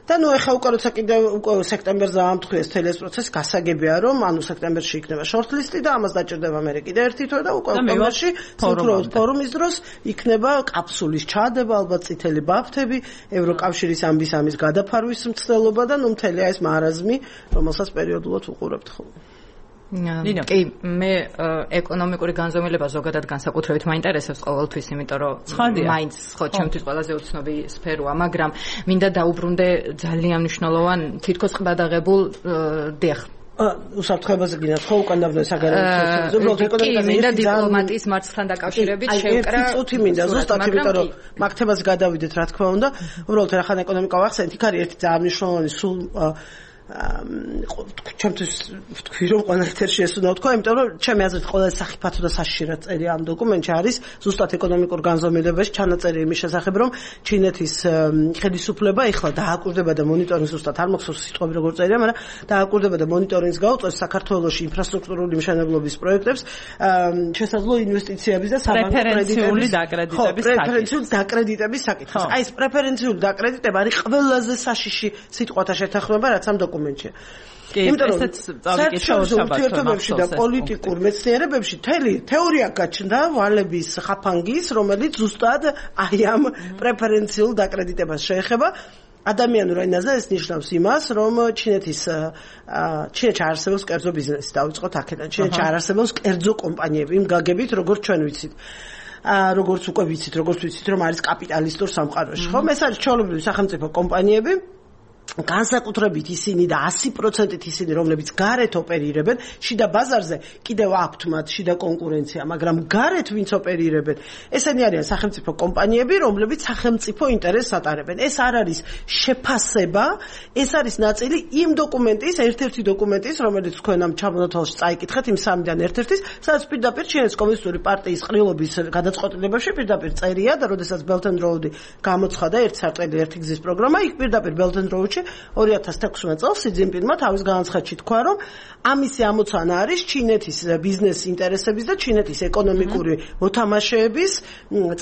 C: და ნუ ეხა უკვე როცა კიდევ უკვე სექტემბერზე ამთხვიეს თელი ეს პროცესი გასაგებია რომ ანუ სექტემბერში იქნება შორტლისტი და ამას დაჭირდება მე კიდე ერთი თვე და უკვე ოქტომბერში ფორუმის დროს იქნება კაფსულის ჩადება ალბათ წითელი ბაფთები ევროკავშირის ამბის ამის გადაფარვის მცდელობა და ნუ მთელი ეს მარაზმი რომელსაც პერიოდულად უყურებთ ხოლმე
B: კი მე ეკონომიკური განზომილება ზოგადად განსაკუთრებით მაინტერესებს ყოველთვის იმიტომ რომ მაინც ხო ჩემთვის ყველაზე უცნობი სფეროა მაგრამ მინდა დაუბრუნდე ძალიან მნიშვნელოვან თითქოს ყბადაღებულ დიახ
C: უსაფრთხოებაზე გინათ ხო უკან დავდე საგარეო
B: ეკონომიკაზე მინდა დიპლომატიის მარცხთან დაკავშირებით შევკრა
C: წუთი მინდა ზუსტად იმიტომ რომ მაგ თემას გადავიდეთ რა თქმა უნდა უბრალოდ რახან ეკონომიკა ვახსენეთ იქ არის ერთი ძალიან მნიშვნელოვანი სულ ჩემთვის ვთქვი რომ ყველა ეთერში ეს უნდა ვთქვა, იმიტომ რომ ჩემი აზრით ყველა სახიფათო და საშიშრად წერი ამ დოკუმენტში არის ზუსტად ეკონომიკურ განზომილებაში ჩანაწერი იმის შესახებ, რომ ჩინეთის ხელისუფლება ეხლა დააკვირდება და მონიტორინგს ზუსტად არ მახსოვს სიტყვები როგორ წერია, მაგრამ დააკვირდება და მონიტორინგს გაუწევს საქართველოში ინფრასტრუქტურული მშენებლობის პროექტებს, შესაძლო ინვესტიციების და
A: პრეფერენციული დაკრედიტების საკითხს.
C: პრეფერენციული დაკრედიტების საკითხს. აი ეს პრეფერენციული დაკრედიტება არის ყველაზე საშიში სიტყვათა შეთანხმება, რაც ამ დოკუმენტია.
A: იმიტომ რომ საერთაშორისო
C: ურთიერთობებში და პოლიტიკურ მეცნიერებებში თელი თეორია გაჩნდა ვალების ხაფანგის, რომელიც ზუსტად აი ამ პრეფერენციულ დაკრედიტებას შეეხება. ადამიანურ ენაზე ეს ნიშნავს იმას, რომ ჩინეთის ჩინეთში არსებობს კერძო ბიზნესი, დავიწყოთ აქედან. ჩინეთში არსებობს კერძო კომპანიები, იმ გაგებით, როგორც ჩვენ ვიცით. როგორც უკვე ვიცით, როგორც ვიცით, რომ არის კაპიტალისტურ სამყაროში. ხომ ეს არის ჩვეულებრივი სახელმწიფო კომპანიები. განსაკუთრებით ისინი და ასი პროცენტით ისინი, რომლებიც გარეთ ოპერირებენ, შიდა ბაზარზე კიდევ აქვთ მათ შიდა კონკურენცია, მაგრამ გარეთ ვინც ოპერირებენ, ესენი არიან სახელმწიფო კომპანიები, რომლებიც სახელმწიფო ინტერესს ატარებენ. ეს არ არის შეფასება, ეს არის ნაწილი იმ დოკუმენტის, ერთ-ერთი დოკუმენტის, რომელიც თქვენ ამ ჩამონათვალში წაიკითხეთ, იმ სამიდან ერთ-ერთის, სადაც პირდაპირ ჩინეთის კომუნისტური პარტიის ყრილობის გადაწყვეტილებებში პირდაპირ წერია და როდესაც Belt and Road გამოცხადა ერთ სარტყელი ერთი გზის პროგრამა, იქ პირდაპირ Belt and Road ორი ათას თექვსმეტ წელს სი ძინპინმა თავის განცხადში თქვა, რომ ამისი ამოცანა არის ჩინეთის ბიზნეს ინტერესების და ჩინეთის ეკონომიკური მოთამაშეების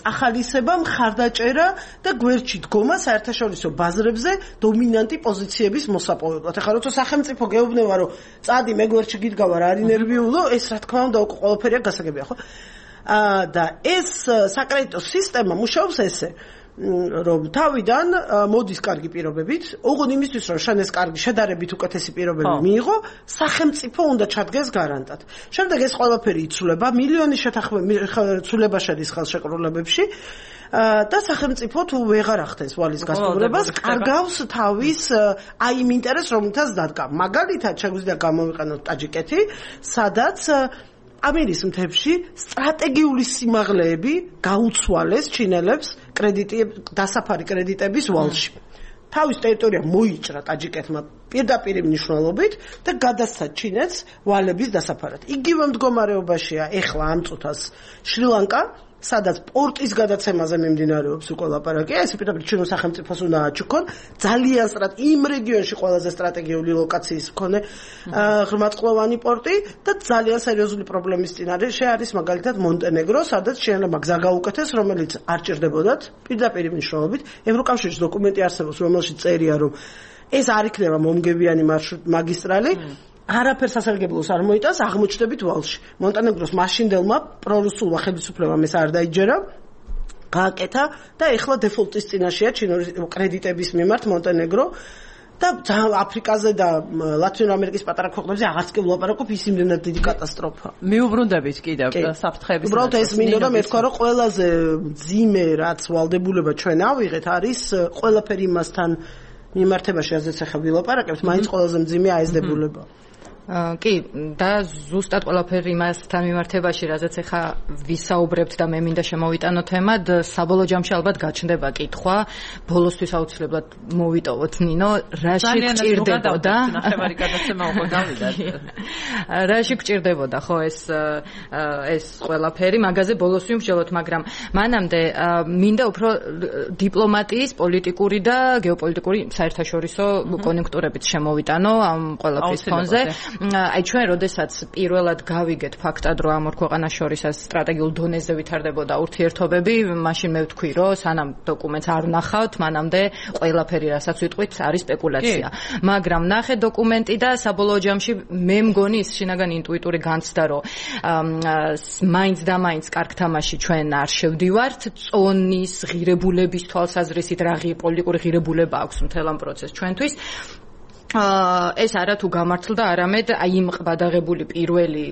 C: წახალისება, მხარდაჭერა და გვერდში დგომა საერთაშორისო ბაზრებზე დომინანტი პოზიციების მოსაპოვებლად. ეხლა როცა სახელმწიფო გეუბნება, რომ წადი მე გვერდში გიდგავარ, არ ინერვიულო, ეს რა თქმა უნდა უკვე ყველაფერია გასაგებია, ხო? აა და ეს საკრედიტო სისტემა მუშაობს ესე, რომ თავიდან მოდის კარგი პირობებით, ოღონდ იმისთვის რომ შენ ეს კარგი შედარებით უკეთესი პირობები მიიღო, სახელმწიფო უნდა ჩადგეს გარანტად. შემდეგ ეს ყველაფერი იცვლება, მილიონი შეთანხმება შედის ხელშეკრულებებში და სახელმწიფო თუ ვეღარ ახდენს ვალის გასტუმრებას, კარგავს თავის აი იმ ინტერესს, რომელთაც დადგა. მაგალითად, შეგვიძლია გამოვიყენოთ ტაჯიკეთი, სადაც ამირის მთებში სტრატეგიული სიმაღლეები გაუცვალეს ჩინელებს კრედიტი დასაფარი კრედიტების ვალში. თავის ტერიტორია მოიჭრა ტაჯიკეთმა პირდაპირ მნიშვნელობით და გადასცა ჩინეთს ვალების დასაფარად. იგივე მდგომარეობაშია ეხლა ამ წუთას შრი-ლანკა, სადაც პორტის გადაცემაზე მიმდინარეობს უკვე ლაპარაკი, ეს პირდაპირ ჩინოს სახელმწიფოს უნდა აჩუქონ, ძალიან სწრაფ იმ რეგიონში ყველაზე სტრატეგიული ლოკაციის მქონე ღრმაწყლოვანი პორტი და ძალიან სერიოზული პრობლემის წინარეში არის მაგალითად მონტენეგრო, სადაც ჩინელებმა გზა გაუკეთეს, რომელიც არ ჭირდებოდათ პირდაპირ მნიშვნელობით. ევროკავშირის დოკუმენტი არსებობს, რომელშიც წერია, რომ ეს არ იქნება მომგებიანი მაგისტრალი. არაფერს სასარგებლოს არ მოიტანს, აღმოჩნდებით ვალში. მონტენეგროს მაშინდელმა პრორუსულმა ხელისუფლებამ ეს არ დაიჯერა, გააკეთა და ეხლა დეფოლტის წინაშეა ჩინური კრედიტების მიმართ მონტენეგრო და აფრიკაზე და ლათინურ ამერიკის პატარა ქვეყნებზე აღარც კი ვლაპარაკობ, ის იმდენად დიდი კატასტროფა.
A: მიუბრუნდებით კიდევ საფრთხეების.
C: უბრალოდ ეს მინდოდა მეთქვა, რომ ყველაზე ძიმე რაც ვალდებულება ჩვენ ავიღეთ არის ყველაფერი იმასთან მიმართებაში, რაზეც ახლა ვილაპარაკებთ, მაინც ყველაზე მძიმე აიზდებულება.
B: კი, და ზუსტად ყველაფერი იმასთან მიმართებაში, რაზეც ახლა ვისაუბრებთ და მე მინდა შემოვიტანო თემად, საბოლოო ჯამში ალბათ გაჩნდება კითხვა, ბოლოსთვის აუცილებლად მოვიტოვოთ ნინო, რაში გჭირდებოდა?
A: ნახევარი გადაცემა უკვე გავიდა.
B: რაში გჭირდებოდა ხო ეს ეს ყველაფერი, მაგაზე ბოლოს ვიმსჯელოთ, მაგრამ მანამდე მინდა უფრო დიპლომატიის, პოლიტიკური და გეოპოლიტიკური საერთაშორისო კონიუნქტურებით შემოვიტანო ამ ყველაფრის ფონზე. აი ჩვენ როდესაც პირველად გავიგეთ ფაქტად, რომ ამ ორ ქვეყანას შორის სტრატეგიულ დონეზე ვითარდებოდა ურთიერთობები, მაშინ მე ვთქვი, რომ სანამ დოკუმენტს არ ვნახავთ, მანამდე ყველაფერი, რასაც ვიტყვით, არის სპეკულაცია. მაგრამ ნახე დოკუმენტი და საბოლოო ჯამში მე მგონი ის შინაგანი ინტუიტური განცდა, რომ მაინც და მაინც კარგ თამაში ჩვენ არ შევდივართ, წონის ღირებულების თვალსაზრისით რა პოლიტიკური ღირებულება აქვს მთელ ამ პროცესს ჩვენთვის. ეს არა თუ გამართლდა, არამედ აი იმ ყბადაღებული პირველი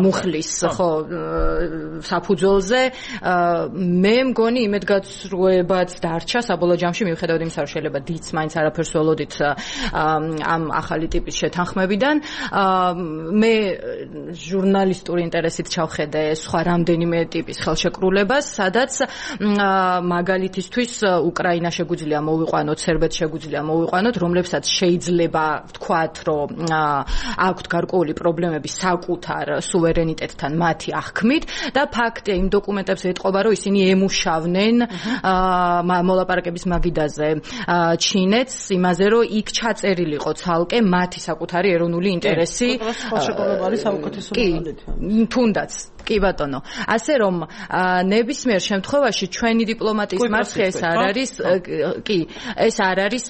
B: მუხლის ხო საფუძველზე მე მგონი იმედგაცრუებაც დარჩა საბოლოო ჯამში, მიუხედავად იმისა, რომ შეიძლება დიც მაინც არაფერს ველოდით ამ ახალი ტიპის შეთანხმებიდან. მე ჟურნალისტური ინტერესით ჩავხედე სხვა რამდენიმე ტიპის ხელშეკრულებას, სადაც მაგალითისთვის უკრაინა შეგვიძლია მოვიყვანოთ, სერბეთს შეგვიძლია მოვიყვანოთ, რომლებსაც შეიძლება ვთქვათ, რომ აქვთ გარკვეული პრობლემები საკუთარ სუვერენიტეტთან მათი აღქმით და ფაქტია იმ დოკუმენტებს ეტყობა, რომ ისინი ემუშავნენ მოლაპარაკების მაგიდაზე ჩინეთს იმაზე, რომ იქ ჩაწერილიყო ცალკე მათი საკუთარი ეროვნული ინტერესი. კი, თუნდაც კი ბატონო. ასე რომ ნებისმიერ შემთხვევაში ჩვენი დიპლომატიის მარცხი ეს არ არის, კი, ეს არ არის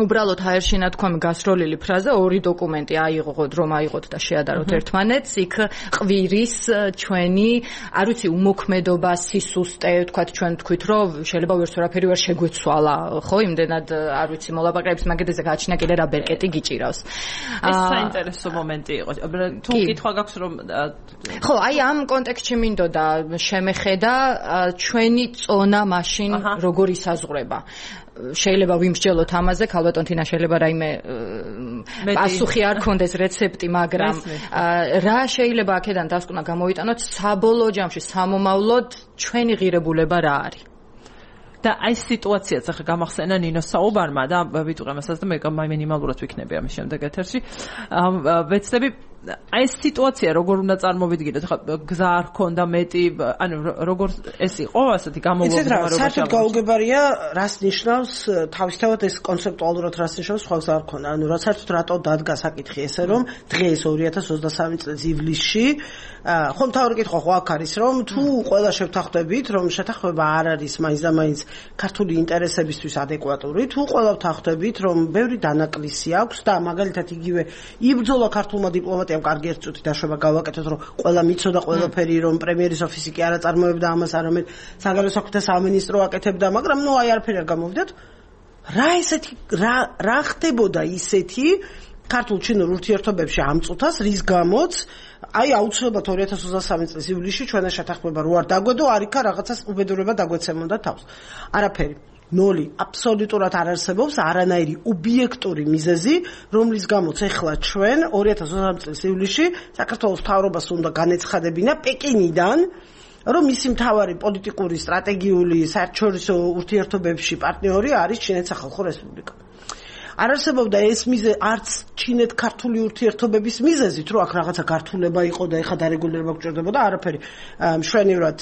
B: უბრალოდ ჰაერში ნათქვამი გასროლილი ფრაზა, ორი დოკუმენტი აიღოთ, რომ აიღოთ და შეადაროთ ერთმანეთს, იქ ყვირის ჩვენი, არ ვიცი, უმოქმედობა, სისუსტე, თქვათ ჩვენ თქვით, რომ შეიძლება ვერც ვერაფერი ვერ შეგვეცვალა, ხო, იმდენად არ ვიცი, მოლაპარაკების მაგედაზე გააჩინა კიდე რა ბერკეტი გიჭირავს.
A: ეს საინტერესო მომენტი იყო. თუ კითხვა გაქვს, რომ
B: ხო, აი ამ კონტექსტში მინდოდა შემეხედა ჩვენი წონა მაშინ როგორ ისაზღვრება. შეიძლება ვიმსჯელოთ ამაზე, ქალბატონ თინა შეიძლება რაიმე პასუხი არ ქონდეს რეცეპტი, მაგრამ რა შეიძლება აქედან დასკვნა გამოვიტანოთ საბოლოო ჯამში სამომავლოდ ჩვენი ღირებულება რა არის?
A: და აი სიტუაციაც ახლა გამახსენა ნინოს საუბარმა და ვიტყვი ამასაც და მე მინიმალურად ვიქნები ამის შემდეგ ეთერში. ვეცდები აი ეს სიტუაცია როგორ უნდა წარმოვიდგინოთ? ხა გზა არ ქონდა მეტი, ანუ როგორ ეს იყო ასეთი გამოვაგვარებაში?
C: საერთოდ გაუგებარია, რას ნიშნავს თავისთავად ეს კონცეპტუალურად რას ნიშნავს სხვა გზა არ ქონდა. ანუ რა საერთოდ რატო დადგა საკითხი ესე რომ დღეს ორი ათას ოცდასამი წლის ივლისში ხო მთავარი კითხვა ხო აქ არის რომ თუ ყველა შევთანხმდებით რომ შეთანხმება არ არის მაინც და მაინც ქართული ინტერესებისთვის ადეკვატური, თუ ყველა ვთანხმდებით რომ ბევრი დანაკლისი აქვს და მაგალითად იგივე იბრძოლა ქართულმა დიპლომატიამ კარგი ერთ წუთი დაშვება გავაკეთოთ რომ ყველა მიცოდა ყველაფერი რომ პრემიერის ოფისი კი არ აწარმოებდა ამას არამედ საგარეო საქმეთა სამინისტრო აკეთებდა, მაგრამ ნუ აი არაფერი არ გამოვიდათ. რა ესეთი რა რა ხდებოდა ისეთი ქართულ-ჩინურ ურთიერთობებში ამ წუთას, რის გამოც აი აუცილებლად ორი ათას ოცდასამი წლის ივლისში ჩვენა შეთანხმება რო არ დაგვედო, არ იქა რაღაცას უბედურება დაგვეცემოდა თავს. არაფერი. ნოლი აბსოლუტურად არ არსებობს არანაირი ობიექტური მიზეზი, რომლის გამოც ეხლა ჩვენ ორი ათას ოცდასამი წლის ივლისში საქართველოს მთავრობას უნდა განეცხადებინა პეკინიდან, რომ მისი მთავარი პოლიტიკური, სტრატეგიული, საერთაშორისო ურთიერთობებში პარტნიორი არის ჩინეთის სახალხო რესპუბლიკა. არ არსებობდა ეს მიზეზი არც ჩინეთ-ქართული ურთიერთობების მიზეზით, რომ აქ რაღაცა გართულება იყო და ეხა დარეგულირება გჭირდებოდა, არაფერი. მშვენივრად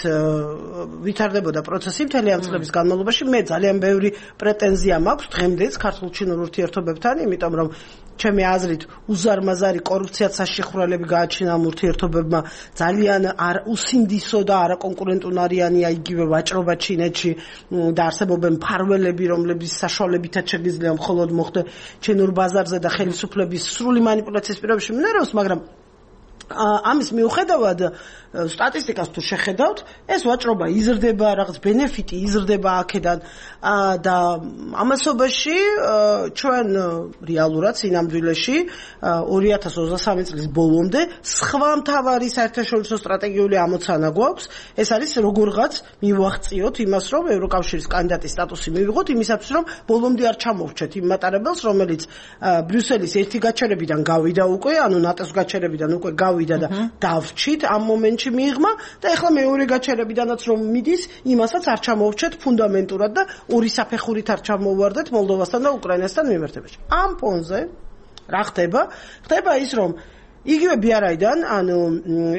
C: ვითარდებოდა პროცესი მთელი ამ წლების განმავლობაში. მე ძალიან ბევრი პრეტენზია მაქვს დღემდეც ქართულ-ჩინურ ურთიერთობებთან, იმიტომ რომ ჩემი აზრით უზარმაზარი კორუფციად საშიხვრელები გააჩინა ამ ურთიერთობებმა, ძალიან არ უსინდისო და არაკონკურენტუნარიანია იგივე ვაჭრობა ჩინეთში და არსებობენ მფარველები, რომლების საშუალებითაც შეგიძლია მხოლოდ მოხდე ჩინურ ბაზარზე და ხელისუფლების სრული манипуляციის პირობებში მინეროს, მაგრამ ამის მიუხედავად სტატისტიკას თუ შეხედავთ, ეს ვაჭრობა იზრდება, რაღაც ბენეფიტი იზრდება აქედან და ამასობაში ჩვენ რეალურად სინამდვილეში ორი ათას ოცდასამი წლის ბოლომდე სხვა მთავარი საერთაშორისო სტრატეგიული ამოცანა გვაქვს, ეს არის როგორღაც მივაღწიოთ იმას, რომ ევროკავშირის კანდიდატის სტატუსი მივიღოთ, იმისათვის რომ ბოლომდე არ ჩამოვრჩეთ იმ მატარებელს, რომელიც ბრიუსელის ერთი გაჩერებიდან გავიდა უკვე, ანუ ნატოს გაჩერებიდან უკვე გავიდა და დავრჩით ამ მომენტში მიიღმა და ეხლა მეორე გაჩერებიდანაც რომ მიდის, იმასაც არ ჩამოვრჩეთ ფუნდამენტურად და ორი საფეხურით არ ჩამოვარდეთ მოლდოვასთან და უკრაინასთან მიმართებაში. ამ ფონზე რა ხდება? ხდება ის, რომ იგივე ბიარაიდან, ანუ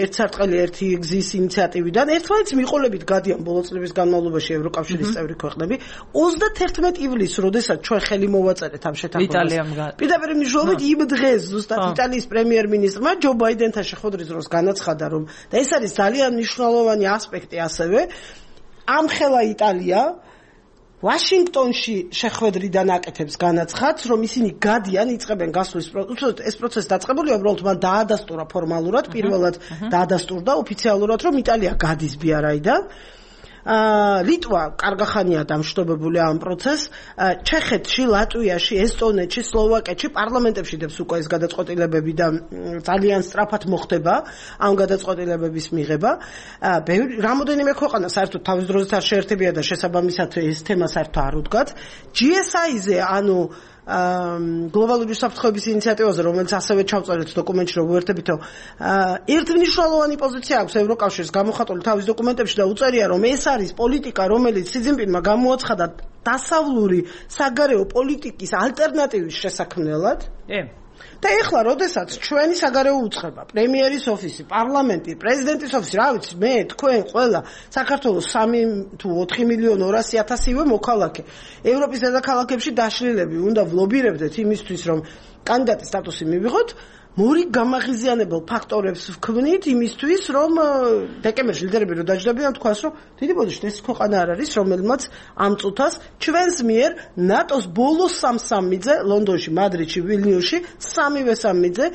C: ერთ სარტყელი ერთი გზის ინიციატივიდან ერთმანეთს მიყოლებით გადიან ბოლო წლების განმავლობაში ევროკავშირის წევრი ქვეყნები. ოცდათერთმეტი ივლისს, როდესაც ჩვენ ხელი მოვაწერეთ ამ შეთანხმებას. პირდაპირ მნიშვნელობით იმ დღეს ზუსტად იტალიის პრემიერ-მინისტრმა ჯო ბაიდენთან შეხვედრის დროს განაცხადა, რომ და ეს არის ძალიან მნიშვნელოვანი ასპექტი ასევე, ამხელა იტალია ვაშინგტონში შეხვედრიდან აკეთებს განაცხადს, რომ ისინი გადიან, იწყებენ გასვლის პროცესს. ეს პროცესი დაწყებულია, უბრალოდ მან დაადასტურა ფორმალურად, პირველად დაადასტურდა ოფიციალურად, რომ იტალია გადის ბიარაიდან. ლიტვა კარგახანია დამშტობებული ამ პროცესს. ჩეხეთში, ლატვიაში, ესტონეთში, სლოვაკეთში პარლამენტებში დებს უკვე ეს გადაწყვეტილებები და ძალიან სწრაფად მოხდება ამ გადაწყვეტილებების მიღება. რამოდენიმე ქვეყანა საერთოდ თავის დროზე არ შეერთებია და შესაბამისად ეს თემა საერთოდ არ უდგათ. ჯი ეს აი-ზე, ანუ გლობალური საფრთხეების ინიციატივაზე, რომელიც ასევე ჩავწერეთ დოკუმენტში, რომ ვუერთებითო, ერთმნიშვნელოვანი პოზიცია აქვს ევროკავშირის გამოხატული თავის დოკუმენტებში და უწერია, რომ ეს არის პოლიტიკა, რომელიც სი ძინპინმა გამოაცხადა დასავლური საგარეო პოლიტიკის ალტერნატივის შესაქმნელად. და ეხლა, როდესაც ჩვენი საგარეო უწყება, პრემიერის ოფისი, პარლამენტი, პრეზიდენტის ოფისი, რა ვიცი, მე, თქვენ, ყველა საქართველოს სამი თუ ოთხი მილიონი ორასი ათასივე მოქალაქე ევროპის დედაქალაქებში დაშლილები უნდა ვლობირებდეთ იმისთვის, რომ კანდიდატის სტატუსი მივიღოთ, მორი გამაღიზიანებელ ფაქტორებს ვქმნით იმისთვის, რომ დეკემბერში ლიდერები რო დაჯდებიან, თქვას, რომ დიდი ბოდიშით ეს ქვეყანა არ არის, რომელმაც ამ წუთას ჩვენს მიერ ნატოს ბოლო სამსამიძე ლონდონში, მადრიდში, ვილნიუსში, სამივე სამიძე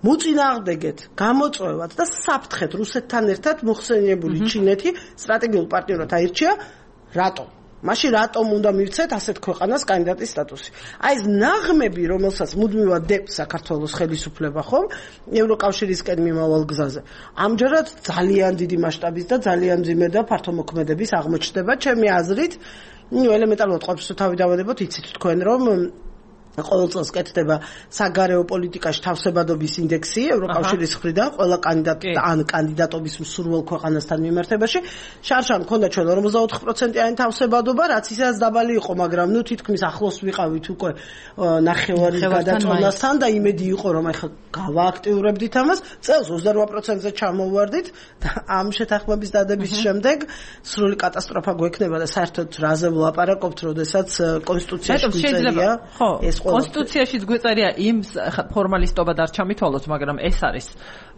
C: მოწინააღმდეგეთ, გამოწვევად და საფრთხეთ რუსეთთან ერთად მოხსენიებული ჩინეთი სტრატეგიულ პარტნიორად აირჩია. რატომ? მაშინ რატომ უნდა მივცეთ ასეთ ქვეყანას კანდიდატის სტატუსი? აი ეს ნაღმები, რომელსაც მუდმივად დებს საქართველოს ხელისუფლება, ხომ, ევროკავშირისკენ მიმავალ გზაზე. ამჯერად ძალიან დიდი მასშტაბის და ძალიან მძიმე და ფართომოქმედების აღმოჩნდება, ჩემი აზრით. ნუ ელემენტარულად ყოფს თუ თავი დავადებოთ, იცით თქვენ, რომ ყოველ წელს კეთდება საგარეო პოლიტიკაში თავსებადობის ინდექსი ევროკავშირის მხრიდან ყველა კანდიდატ ან კანდიდატობის მსურველ ქვეყანასთან მიმართებაში. შარშან მქონდა ჩვენ ორმოცდაოთხი პროცენტიანი თავსებადობა, რაც ისედაც დაბალი იყო, მაგრამ ნუ თითქმის ახლოს ვიყავით უკვე ნახევარის გადაწყვეტასთან და იმედი იყო რომ ახლა გავააქტიურებდით ამას. წელს ოცდარვა პროცენტზე ჩამოვარდით და ამ შეთანხმების დადების შემდეგ სრული კატასტროფა გვექნება და საერთოდ რაზე ვლაპარაკობთ, როდესაც კონსტიტუციაში გვიწერია ეს
A: კონსტიტუციაშიც გვიწერია იმ ფორმალისტობად არ ჩამითვალოთ, მაგრამ ეს არის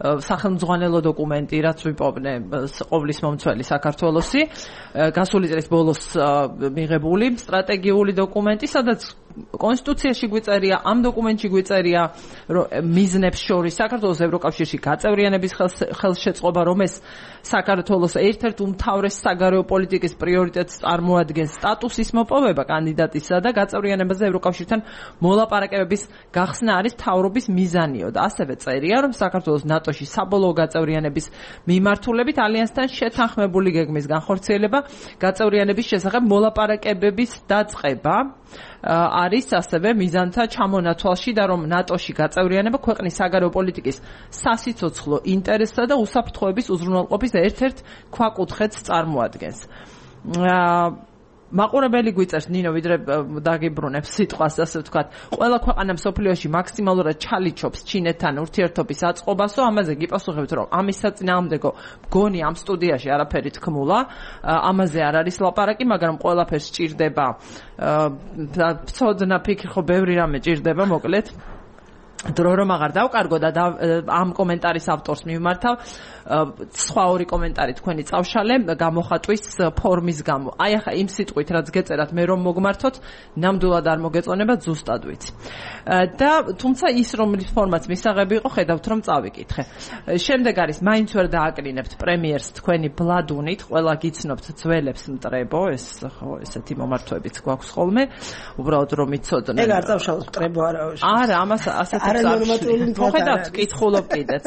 A: სახელმძღვანელო დოკუმენტი, რაც ვიპოვნე ყოვლის მომცველი საქართველოსი, გასული წლის ბოლოს მიღებული სტრატეგიული დოკუმენტი, სადაც კონსტიტუციაში გვიწერია, ამ დოკუმენტში გვიწერია მიზნებს შორის საქართველოს ევროკავშირში გაწევრიანების ხელშეწყობა, რომ ეს საქართველოს ერთ-ერთ უმთავრეს საგარეო პოლიტიკის პრიორიტეტს წარმოადგენს სტატუსის მოპოვება კანდიდატისა და გაწევრიანებაზე ევროკავშირთან მოლაპარაკებების გახსნა არის მთავრობის მიზანიო და ასევე წერია, რომ საქართველოს ნატოში საბოლოო გაწევრიანების მიმართულებით ალიანსთან შეთანხმებული გეგმის განხორციელება გაწევრიანების შესახებ მოლაპარაკებების დაწყება არის ასევე მიზანთა ჩამონათვალში და რომ ნატოში გაწევრიანება ქვეყნის საგარეო პოლიტიკის სასიცოცხლო ინტერესსა და უსაფრთხოების უზრუნველყოფის ერთ-ერთ ქვაკუთხედს წარმოადგენს. მაყურებელი გვიწერს ნინო ვიდრე დაგიბრუნებს სიტყვას ასე ვთქვათ, ყველა ქვეყანა მსოფლიოში მაქსიმალურად ჩალიჩობს ჩინეთთან ურთიერთობის აწყობასო, ამაზე გიპასუხებთ, რომ ამის საწინააღმდეგო მგონი ამ სტუდიაში არაფერი თქმულა, ამაზე არ არის ლაპარაკი, მაგრამ ყველაფერს ჭირდება ცოდნა ფიქრი, ხო ბევრი რამე ჭირდება, მოკლედ დრო რომ აღარ დავკარგო და ამ კომენტარის ავტორს მიმართავ სხვა ორი კომენტარი თქვენი წავშალე გამოხატვის ფორმის გამო. აი ახლა იმ სიტყვით რაც გეწერათ მე რომ მოგმართოთ, ნამდვილად არ მოგეწონება, ზუსტად ვიცი. და თუმცა ის რომლის ფორმაც მისაღები იყო, ხედავთ რომ წავიკითხე. შემდეგ არის მაინც ვერ დააკრინებთ პრემიერს თქვენი ბლადუნით, ყველა გიცნობთ ძველებს მტრებო, ეს ხო ესეთი მომართვებიც გვაქვს ხოლმე, უბრალოდ რომ იცოდნე.
C: ეგ არ წავშალოთ მტრებო არაოში.
A: არა, ამას ასეთი წავშალოთ. ხედავთ, კითხულობ კიდეც.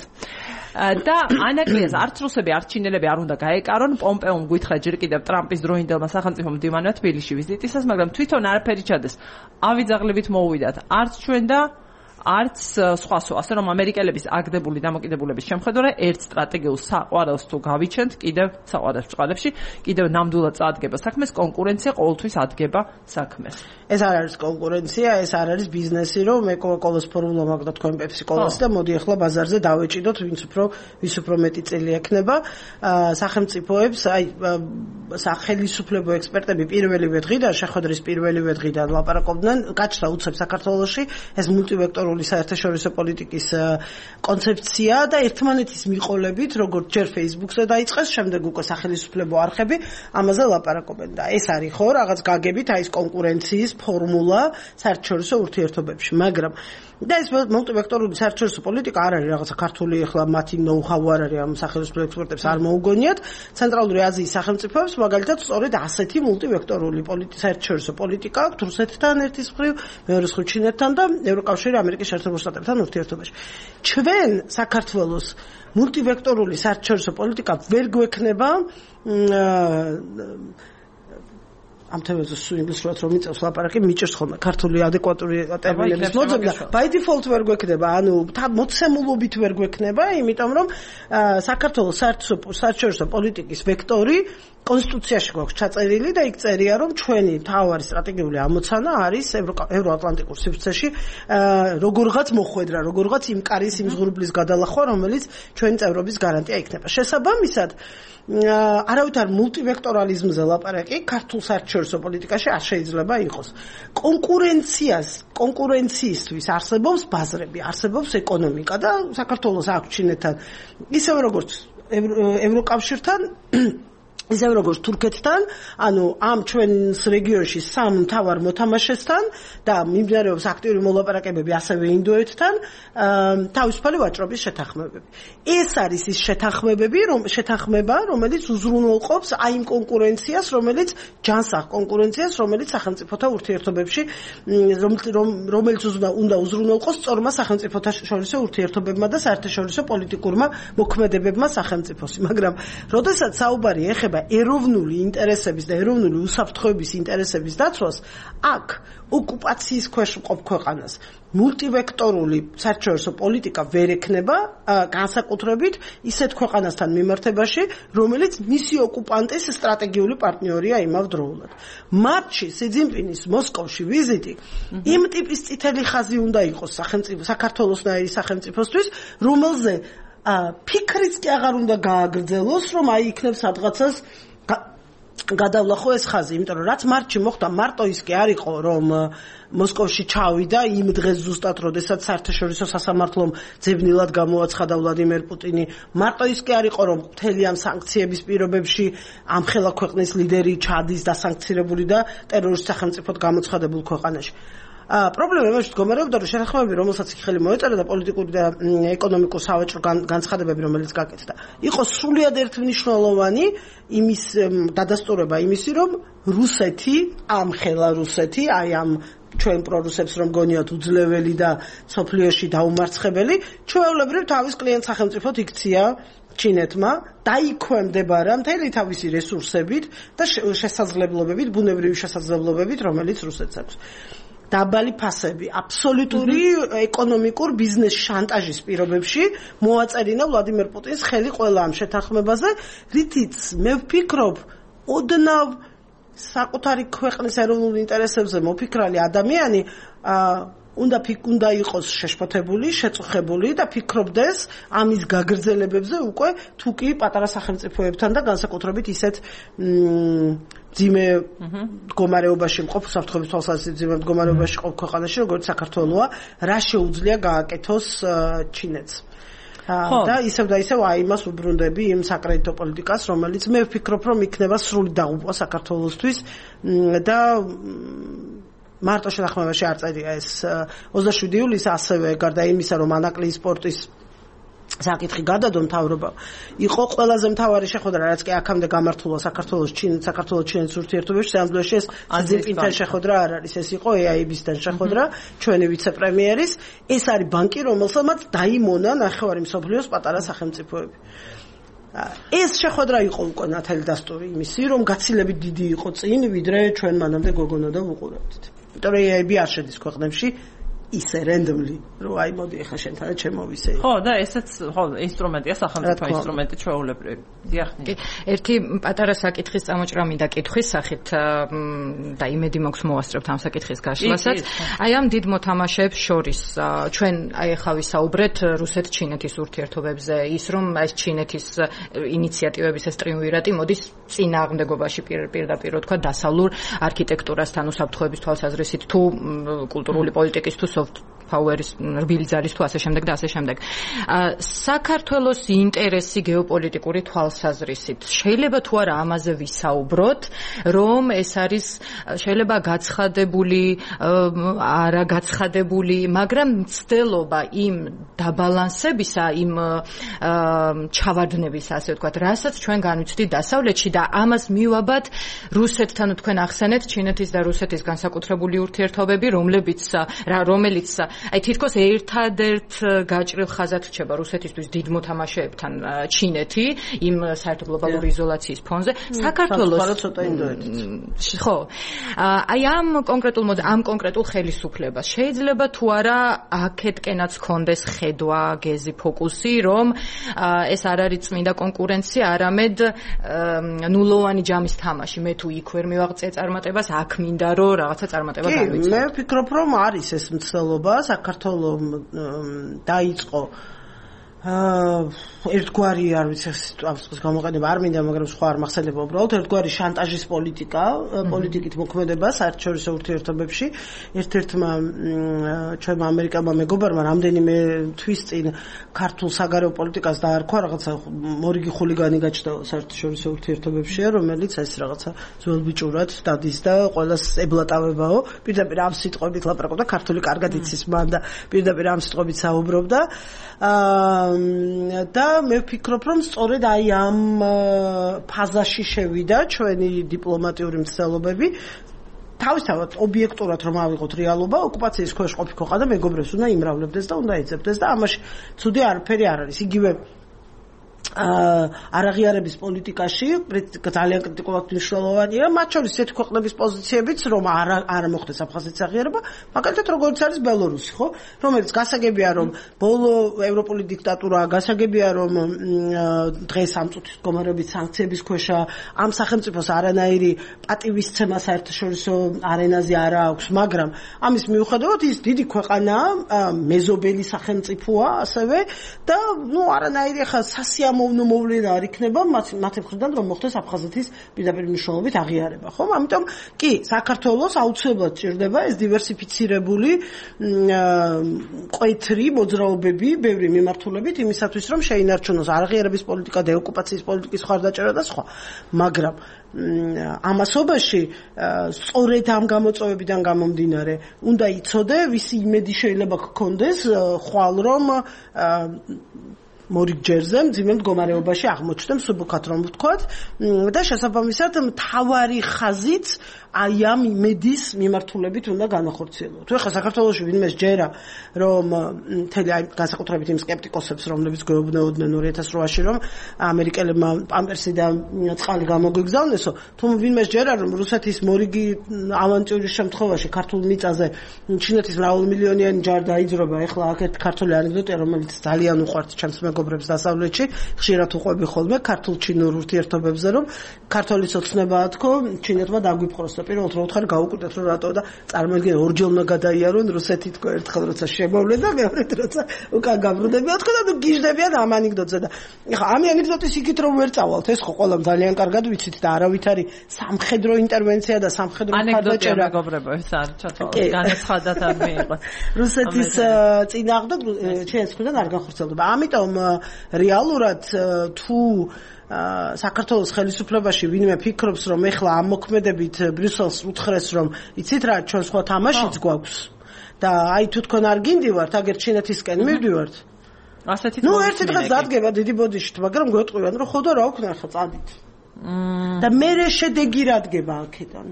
A: და ანაკლიას არც რუსები, არც ჩინელები არ უნდა გაეკარონ. პომპეომ გითხრა ჯერ კიდევ ტრამპის დროინდელმა სახელმწიფომ მდივანმა თბილისში ვიზიტისას, მაგრამ თვითონ არაფერი ჩადეს. ავიძაღლებით მოუვიდათ არც ჩვენ და არც სხვასო, ასე რომ ამერიკელების აგდებული დამოკიდებულების შემხედვე ერთ სტრატეგიულ საყვარელს თუ გავიჩენთ, კიდევ საყვარელს წყალებში, კიდევ ნამდვილად წადგება საქმეს, კონკურენცია ყოველთვის ადგება საქმეს.
C: ეს არ არის კონკურენცია, ეს არ არის ბიზნესი, რომ მე კოკაკოლის ფორმულა მაგდა თქვენ პეპსიკოლას და მოდი ახლა ბაზარზე დავეჭიდოთ, ვინც უფრო ვის უფრო მეტი წელი ექნება. სახელმწიფოებს, აი სახელმწიფო ექსპერტები პირველივე დღიდან, შეხვედრის პირველივე დღიდან ლაპარაკობდნენ, გაჩნდა უცებ საქართველოში ეს მულტივექტორული საერთაშორისო პოლიტიკის კონცეფცია და ერთმანეთის მიყოლებით, როგორც ჯერ Facebook-ზე დაიწყეს, შემდეგ უკვე სახელმწიფო არხები ამაზე ლაპარაკობენ და ეს არის ხო რაღაც გაგებით, აი ეს კონკურენციის ფორმულა საერთაშორისო ურთიერთობებში, მაგრამ და ეს მულტივექტორული საერთაშორისო პოლიტიკა არ არის რაღაცა ქართული ახლა მათი ნოუ-ჰაუ არ არის ამ სახელმწიფო ექსპერტებს არ მოუგონიათ. ცენტრალური აზიის სახელმწიფოებს მაგალითად სწორედ ასეთი მულტივექტორული პოლიტიკა საერთაშორისო პოლიტიკა აქვს რუსეთთან ერთის მხრივ, მეორე მხრივ ჩინეთთან და ევროკავშირი ამერიკის შეერთებულ შტატებთან ურთიერთობაში. ჩვენ საქართველოს მულტივექტორული საერთაშორისო პოლიტიკა ვერ გვექნება ამ თემაზე სულ ინგლისურად რომ მიწევს ლაპარაკი, მიჭერს ხოლმე ქართული ადეკვატური ტერმინების მოძებნა. By default ვერ გვექნება, ანუ მოცემულობით ვერ გვექნება, იმიტომ რომ საქართველოს საერთაშორისო პოლიტიკის ვექტორი კონსტიტუციაში გვაქვს ჩაწერილი და იქ წერია, რომ ჩვენი მთავარი სტრატეგიული ამოცანა არის ევროატლანტიკურ სივრცეში როგორღაც მოხვედრა, როგორღაც იმ კარის იმ ზღურბლის გადალახვა, რომელიც ჩვენი წევრობის გარანტია იქნება. შესაბამისად, არავითარ მულტივექტორალიზმზე ლაპარაკი ქართულ საერთაშორისო პოლიტიკაში არ შეიძლება იყოს. კონკურენციას, კონკურენციისთვის არსებობს ბაზრები, არსებობს ეკონომიკა და საქართველოს აქვს ჩინეთთან, ისევე როგორც ევროკავშირთან ისევ როგორც თურქეთთან, ანუ ამ ჩვენს რეგიონში სამ მთავარ მოთამაშესთან და მიმდინარეობს აქტიური მოლაპარაკებები ასევე ინდოეთთან, თავისუფალი ვაჭრობის შეთანხმებები. ეს არის ის შეთანხმებები, რომ შეთანხმება, რომელიც უზრუნველყოფს აი იმ კონკურენციას, რომელიც ჯანსაღ კონკურენციას, რომელიც სახელმწიფოთა ურთიერთობებში, რომელიც უნდა უზრუნველყოს სწორმა სახელმწიფოთა შორისო ურთიერთობებმა და საერთაშორისო პოლიტიკურმა მოქმედებებმა სახელმწიფოსი. მაგრამ როდესაც საუბარი ეხება ეხება ეროვნული ინტერესების და ეროვნული უსაფრთხოების ინტერესების დაცვას, აქ ოკუპაციის ქვეშ მყოფ ქვეყანას მულტივექტორული საერთაშორისო პოლიტიკა ვერ ექნება განსაკუთრებით ისეთ ქვეყანასთან მიმართებაში, რომელიც მისი ოკუპანტის სტრატეგიული პარტნიორია იმავდროულად. მარტში სი ძინპინის მოსკოვში ვიზიტი იმ ტიპის წითელი ხაზი უნდა იყოს სახელმწიფო საქართველოსნაირი სახელმწიფოსთვის, რომელზე ფიქრიც კი აღარ უნდა გააგრძელოს, რომ აი იქნებ სადღაცას გადავლახო ეს ხაზი, იმიტომ რომ რაც მარტში მოხდა, მარტო ის კი არ იყო, რომ მოსკოვში ჩავიდა იმ დღეს ზუსტად, როდესაც საერთაშორისო სასამართლომ ძებნილად გამოაცხადა ვლადიმერ პუტინი. მარტო ის კი არ იყო, რომ მთელი ამ სანქციების პირობებში ამ ხელა ქვეყნის ლიდერი ჩადის დასანქცირებული და ტერორისტ სახელმწიფოდ გამოცხადებულ ქვეყანაში. პრობლემა იმაში მდგომარეობდა, რომ შეთანხმებები, რომელსაც იქ ხელი მოეწერა და პოლიტიკური და ეკონომიკურ სავაჭრო განცხადებები, რომელიც გაკეთდა, იყო სრულიად ერთმნიშვნელოვანი იმის დადასტურება იმისი, რომ რუსეთი, ამ ხელა რუსეთი, აი ამ ჩვენ პრორუსებს რომ გონიათ უძლეველი და სოფლიოში დაუმარცხებელი, ჩვეულებრივ თავის კლიენტ სახელმწიფოდ იქცია ჩინეთმა დაიქვემდებარა მთელი თავისი რესურსებით და შესაძლებლობებით, ბუნებრივი შესაძლებლობებით, რომელიც რუსეთს აქვს. დაბალი ფასები, აბსოლუტური ეკონომიკურ ბიზნეს შანტაჟის პირობებში მოაწერინა ვლადიმერ პუტინს ხელი ყველა ამ შეთანხმებაზე, რითიც მე ვფიქრობ, ოდნავ საკუთარი ქვეყნის ეროვნულ ინტერესებზე მოფიქრალი ადამიანი უნდა უნდა იყოს შეშფოთებული, შეწუხებული და ფიქრობდეს ამის გაგრძელებებზე უკვე თუ კი პატარა სახელმწიფოებთან და განსაკუთრებით ისეთ ძიმე მდგომარეობაში მყოფ საფრთხების თვალსაზრისით ძიმე მდგომარეობაში მყოფ ქვეყანაში, როგორც საქართველოა, რა შეუძლია გააკეთოს ჩინეთს. და ისევ და ისევ აი იმას უბრუნდები იმ საკრედიტო პოლიტიკას, რომელიც მე ვფიქრობ, რომ იქნება სრული დაღუპვა საქართველოსთვის და მარტო შეთანხმებაში არ წერია ეს ოცდაშვიდი ივლისი, ასევე გარდა იმისა, რომ ანაკლიის სპორტის საკითხი გადადო მთავრობა, იყო ყველაზე მთავარი შეხვედრა, რაც კი აქამდე გამართულა საქართველოს ჩინეთ საქართველოს ჩინეთის ურთიერთობებში, სამდროში ეს ძინპინთან შეხვედრა არ არის, ეს იყო ე აი ბი-სთან შეხვედრა, ჩვენი ვიცე-პრემიერის, ეს არის ბანკი, რომელსაც დაიმონა ნახევარი მსოფლიოს პატარა სახელმწიფოები. ეს შეხვედრა იყო უკვე ნათელი დასტური იმისი, რომ გაცილებით დიდი იყო წინ, ვიდრე ჩვენ მანამდე გოგონა და ვუყურებდით. იმიტომ რომ ე აი ბი არ შედის ქვეყნებში ისე რენდომლი, რომ აი მოდი ახლა შენთანაც შემოვისე.
A: ხო, და ესეც ხო ინსტრუმენტია, სახელმწიფო ინსტრუმენტი ჩვეულებრივი. დიახნი.
B: ერთი პატარა საკითხის წამოჭრა მინდა კითხვის სახით და იმედი მაქვს მოვასწრებთ ამ საკითხის გაშლასაც. აი ამ დიდ მოთამაშეებს შორის ჩვენ აი ახლა ვისაუბრეთ რუსეთ-ჩინეთის ურთიერთობებზე, ის რომ ეს ჩინეთის ინიციატივების ეს ტრიუმვირატი მოდის წინააღმდეგობაში პირდაპირ თქვა დასავლურ არქიტექტურასთან, უსაფრთხოების თვალსაზრისით თუ კულტურული პოლიტიკის თუ power-ის რბილი ძალის თუ ასე შემდეგ და ასე შემდეგ. საქართველოს ინტერესი გეოპოლიტიკური თვალსაზრისით შეიძლება თუ არა ამაზე ვისაუბროთ, რომ ეს არის შეიძლება გაცხადებული, არა გაცხადებული, მაგრამ მცდელობა იმ დაბალანსებისა, იმ ჩავარდნების, ასე ვთქვათ, რასაც ჩვენ განვიცდით დასავლეთში და ამას მივაბად რუსეთთან თქვენ ახსენეთ ჩინეთის და რუსეთის განსაკუთრებული ურთიერთობები, რომლებიც რომელიც აი თითქოს ერთადერთ გაჭრილ ხაზად რჩება რუსეთისთვის დიდ მოთამაშეებთან ჩინეთი იმ საერთო გლობალური იზოლაციის ფონზე. საქართველოს ხო აი ამ კონკრეტულ ამ კონკრეტულ ხელისუფლებას შეიძლება თუ არა აქეთკენაც კონდეს ხედვა, გეზი, ფოკუსი, რომ ეს არ არის წმინდა კონკურენცია, არამედ ნულოვანი ჯამის თამაში. მე თუ იქ ვერ მივაღწია წარმატებას, აქ მინდა რომ რაღაცა წარმატება განვიცადო.
C: მე ვფიქრობ, რომ არის ეს მცდელობა, საქართველოს დაიწყო ერთგვარი არ ვიცი ამ წყის გამოყენება არ მინდა, მაგრამ სხვა არ მახსენდება უბრალოდ ერთგვარი შანტაჟის პოლიტიკა, პოლიტიკით მოქმედება საერთაშორისო ურთიერთობებში. ერთ-ერთმა ჩვენმა ამერიკელმა მეგობარმა რამდენიმე თვის წინ ქართულ საგარეო პოლიტიკას დაარქვა, რაღაცა მორიგი ხულიგანი გაჩნდა საერთაშორისო ურთიერთობებში, რომელიც ეს რაღაცა ძველბიჭურად დადის და ყველას ებლატავებაო. პირდაპირ ამ სიტყვებით ლაპარაკობდა, ქართული კარგად იცის მან და პირდაპირ ამ სიტყვებით საუბრობდა. აა და მე ვფიქრობ, რომ სწორედ აი ამ ფაზაში შევიდა ჩვენი დიპლომატიური მცდელობები. თავისთავად ობიექტურად რომ ავიღოთ რეალობა, ოკუპაციის ქვეშ ყოფი ქვეყანა მეგობრებს უნდა იმრავლებდეს და უნდა ეძებდეს და ამაში ცუდი არაფერი არ არის. იგივე არაღიარების პოლიტიკაში ძალიან კრიტიკულად მნიშვნელოვანია, მათ შორის ესეთი ქვეყნების პოზიციებიც, რომ არ არ მოხდეს აფხაზეთის აღიარება, მაგალითად როგორც არის ბელორუსი, ხო? რომელიც გასაგებია, რომ ბოლო ევროპული დიქტატურა, გასაგებია, რომ დღეს ამ წუთის მდგომარეობით სანქციების ქვეშა, ამ სახელმწიფოს არანაირი პატივისცემა საერთაშორისო არენაზე არ აქვს, მაგრამ ამის მიუხედავად ის დიდი ქვეყანაა, მეზობელი სახელმწიფოა ასევე და ნუ არანაირი ახლა სასიამოვნო მოვლენა არ იქნება მათ მხრიდან რომ მოხდეს აფხაზეთის პირდაპირ მნიშვნელობით აღიარება, ხო? ამიტომ კი, საქართველოს აუცილებლად ჭირდება ეს დივერსიფიცირებული კვეთრი მოძრაობები, ბევრი მიმართულებით იმისათვის, რომ შეინარჩუნოს აღიარების პოლიტიკა, დეოკუპაციის პოლიტიკის ხარდაჭერა და სხვა. მაგრამ ამასობაში სწორედ ამ გამოწვევებიდან გამომდინარე, უნდა იცოდე, ვისი იმედი შეიძლება გქონდეს ხვალ რომ მორიგ ჯერზე მძიმე მდგომარეობაში აღმოჩნდა მსუბუქად რომ ვთქვათ და შესაბამისად მთავარი ხაზით აი ამ იმედის მიმართულებით უნდა განახორციელოთ. თუ ახლა საქართველოში ვინმე ჯერა რომ მთელი აი განსაკუთრებით იმ სკეპტიკოსებს რომლებიც გვეუბნეოდნენ ორი ათას რვაში რომ ამერიკელებმა პამპერსიდან წყალი გამოგვიგზავნესო, თუ ვინმე ჯერა რომ რუსეთის მორიგი ავანტიურის შემთხვევაში ქართულ მიწაზე ჩინეთის მრავალმილიონიანი ჯარი დაიძრობა, ახლა აქ ერთ ქართული ანეკდოტია რომელიც ძალიან უყვართ ჩემს მეგობრებს დასავლეთში, ხშირად უყვები ხოლმე ქართულ-ჩინურ ურთიერთობებზე, რომ ქართული ცოცნებაა თქო, ჩინეთმა დაგვიფხროს. პირველად რომ ხარ გაუკვირდეთ რომ რატო და წარმოიდგინე ორჯერ გადაიარონ რუსეთი თქო ერთხელ როცა შემოვლენ და მეორედ როცა უკან გაბრუნდებიან თქო და ნუ გიჟდებიან ამ ანეკდოტზე და ეხლა ამ ანეკდოტის იქით რომ ვერ წავალთ ეს ხო ყველამ ძალიან კარგად ვიცით და არავით არის სამხედრო ინტერვენცია და სამხედრო ხარდაჭერა
A: მეგობრებო ეს არის ჩათვალე განაცხადად არ მიიღო
C: რუსეთის წინააღმდეგ ჩვენს მხრიდან არ განხორციელდება ამიტომ რეალურად თუ საქართველოს ხელისუფლებაში ვინმე ფიქრობს რომ ეხლა ამ მოქმედებით ბრიუსელს უთხრეს რომ იცით რა ჩვენ სხვა თამაშიც გვაქვს და აი თუ თქვენ არ გინდივართ აგერ ჩინეთისკენ მივდივართ
A: ასეთი
C: ნუ ერთი დღე დადგება დიდი ბოდიშით მაგრამ გვეტყვიან რომ ხო და რა ვქნა ახლა წადით და მე შედეგი რა დგება აქედან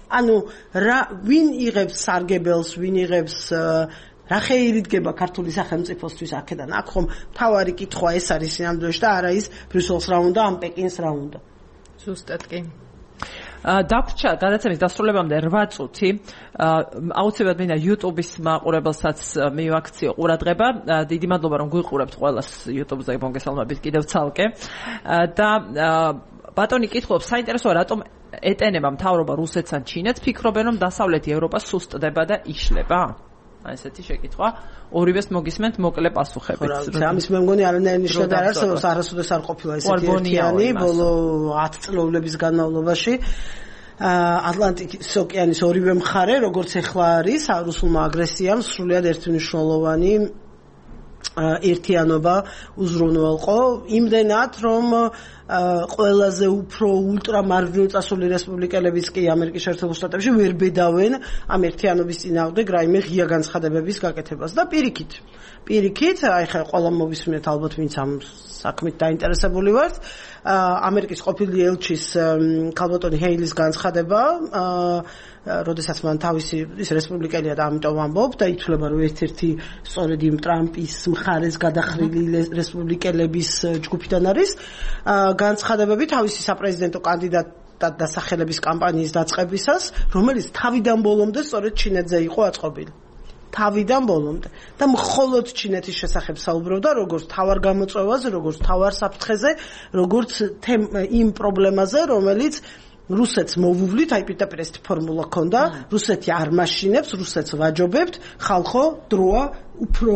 C: ანუ რა ვინ იღებს სარგებელს ვინ იღებს რა ხეირი დგება ქართული სახელმწიფოსთვის აქედან აქ ხომ თავარი კითხვა ეს არის სინამდვილეში და არა ის ბრიუსელს რა უნდა ამ პეკინს რა უნდა
B: ზუსტად კი
A: დაგვრჩა გადაცემის დასრულებამდე რვა წუთი აუცილებლად მინდა YouTube-ის მაყურებელსაც მივაქციო ყურადღება დიდი მადლობა რომ გვიყურებთ ყველას YouTube-ზე მოგესალმებით კიდევ ცალკე და ბატონი კითხულობს საინტერესოა რატომ ეტენება მთავრობა რუსეთს ან ჩინეთს ფიქრობენ რომ დასავლეთი ევროპა სუსტდება და იშლება ასეთი შეკითხვა ორივეს მოგისმენთ მოკლე პასუხებით.
C: ამის მე მგონი არანაირი ნიშანი არ არსებობს, არასოდეს არ ყოფილა ესეთი ერთიანი ბოლო ათი წლების განმავლობაში. ატლანტიკის ოკეანის ორივე მხარე, როგორც ეხლა არის, რუსულმა აგრესიამ სრულიად ერთმნიშვნელოვანი ერთიანობა უზრუნველყო იმდენად რომ ყველაზე უფრო ულტრამარჯვნივ წასული რესპუბლიკელებიც კი ამერიკის შეერთებულ შტატებში ვერ ბედავენ ამ ერთიანობის წინააღმდეგ რაიმე ღია განცხადებების გაკეთებას და პირიქით პირიქით აი ხა ყველა მოვისმენთ ალბათ ვინც ამ საქმით დაინტერესებული ვართ ამერიკის ყოფილი ელჩის ქალბატონი ჰეილის განცხადება როდესაც მან თავისი ის რესპუბლიკელია და ამიტომ ამბობ და ითვლება რომ ერთ-ერთი სწორედ იმ ტრამპის მხარეს გადახრილი რესპუბლიკელების ჯგუფიდან არის განცხადებები თავისი საპრეზიდენტო კანდიდატად დასახელების კამპანიის დაწყებისას რომელიც თავიდან ბოლომდე სწორედ ჩინეთზე იყო აწყობილი თავიდან ბოლომდე და მხოლოდ ჩინეთის შესახებ საუბრობდა როგორც თავარ გამოწვევაზე როგორც თავარ საფრთხეზე როგორც იმ პრობლემაზე რომელიც რუსეთს მოვუვლით, აი პირდაპირ ეს ფორმულა ქონდა, რუსეთი არ მაშინებს, რუსეთს ვაჯობებთ, ხალხო დროა უფრო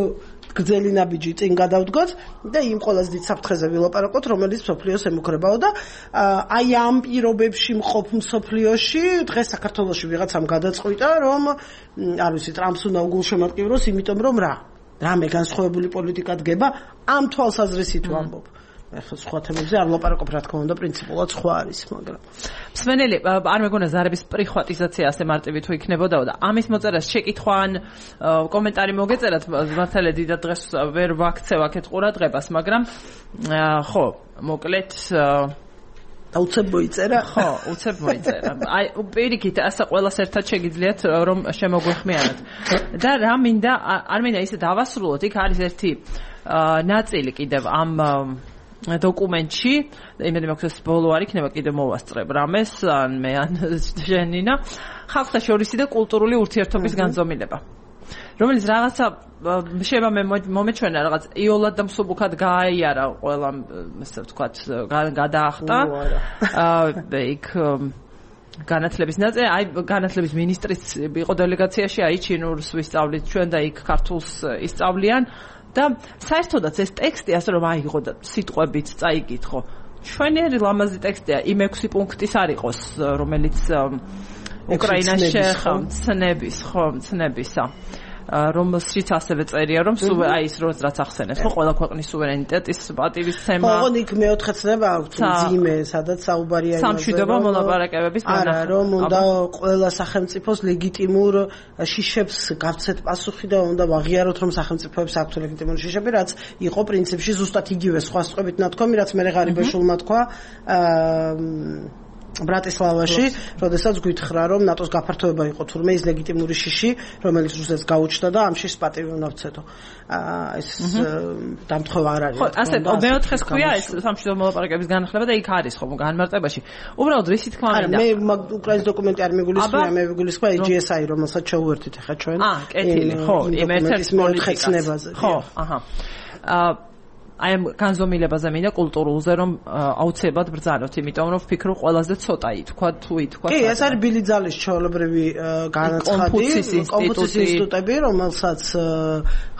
C: გრძელი ნაბიჯი წინ გადავდგოთ და იმ ყველაზე დიდ საფრთხეზე ვილაპარაკოთ, რომელიც მსოფლიოს ემუქრებაო და აი ამ პირობებში მყოფ მსოფლიოში დღეს საქართველოში ვიღაცამ გადაწყვიტა, რომ არ ვიცი, ტრამპს უნდა უგულშემატკივროს, იმიტომ რომ რა, რამე განსხვავებული პოლიტიკა დგება, ამ თვალსაზრისით ვამბობ. ახლა სხვა თემებზე არ ვლაპარაკობ, რა თქმა უნდა, პრინციპულად სხვა არის, მაგრამ
A: მსმენელი, არ მეგონა ზარების პრიხვატიზაცია ასე მარტივი თუ იქნებოდაო და ამის მოწერას შეკითხვა ან კომენტარი მოგეწერათ, მართალია დიდად დღეს ვერ ვაქცევ აქეთ ყურადღებას, მაგრამ ხო, მოკლედ
C: და უცებ მოიწერა?
A: ხო, უცებ მოიწერა. აი, პირიქით, ასე ყველას ერთად შეგიძლიათ რომ შემოგვეხმიანოთ. და რა მინდა, არ მინდა ისე დავასრულოთ, იქ არის ერთი ნაწილი კიდევ ამ დოკუმენტში, იმედი მაქვს ბოლო არ იქნება კიდე მოვასწრებ რამეს, ან მე ან ჟენინა, ხალხთა შორისი და კულტურული ურთიერთობის განზომილება. რომელიც რაღაცა შეიძლება მე მომეჩვენა რაღაც იოლად და მსუბუქად გააიარა ყველა ესე ვთქვათ გადაახტა იქ განათლების ნაწილი აი განათლების მინისტრის იყო დელეგაციაში აი ჩინურს ვისწავლით ჩვენ და იქ ქართულს ისწავლიან და საერთოდაც ეს ტექსტი ასე რომ აიღო და სიტყვებით წაიგითხო ჩვენერი ლამაზი ტექსტია იმ ექვსი პუნქტის არ იყოს რომელიც უკრაინას შეხა ცნების ხო ცნებისა რომელშიც ასევე წერია რომ აი ის რაც ახსენებს ხო ყველა ქვეყნის სუვერენიტეტის პატივისცემა
C: ხო იქ მეოთხე ცნება აქვს ძიმე სადაც საუბარია იმაზე
A: სამშვიდობო მოლაპარაკებების
C: არა რომ უნდა ყველა სახელმწიფოს ლეგიტიმურ შიშებს გავცეთ პასუხი და უნდა ვაღიაროთ რომ სახელმწიფოებს აქვთ ლეგიტიმური შიშები რაც იყო პრინციპში ზუსტად იგივე სხვა სწყვებით ნათქვამი რაც მე ღარიბეშულმა თქვა ბრატისლავაში, როდესაც გვითხრა, რომ ნატოს გაფართოება იყო თურმე ის ლეგიტიმური შიში, რომელიც რუსეთს გაუჩნდა და ამ შიშს პატივი უნდა ვცეთო. აა ეს დამთხოვა არ არის.
A: ხო, ასე მეოთხეს ქვია ეს სამშვიდობო მოლაპარაკების განახლება და იქ არის ხომ განმარტებაში. უბრალოდ რისი თქმა მინდა.
C: არა, მე უკრაინის დოკუმენტი არ მეგულისხმია, მე მეგულისხმია ჯი ეს აი, რომელსაც შევუერთდით ახლა ჩვენ.
A: აა, კეთილი, ხო, იმ ერთ-ერთ პოლიტიკას. ხო, აჰა. აა აი ამ განზომილებაზე მინდა კულტურულზე რომ აუცილებლად ბრძანოთ, იმიტომ რომ ვფიქრობ ყველაზე ცოტა ითქვა თუ ითქვა.
C: კი, ეს არის ბილი ძალის ჩვეულებრივი განაცხადი, კონფუცის ინსტიტუტები, რომელსაც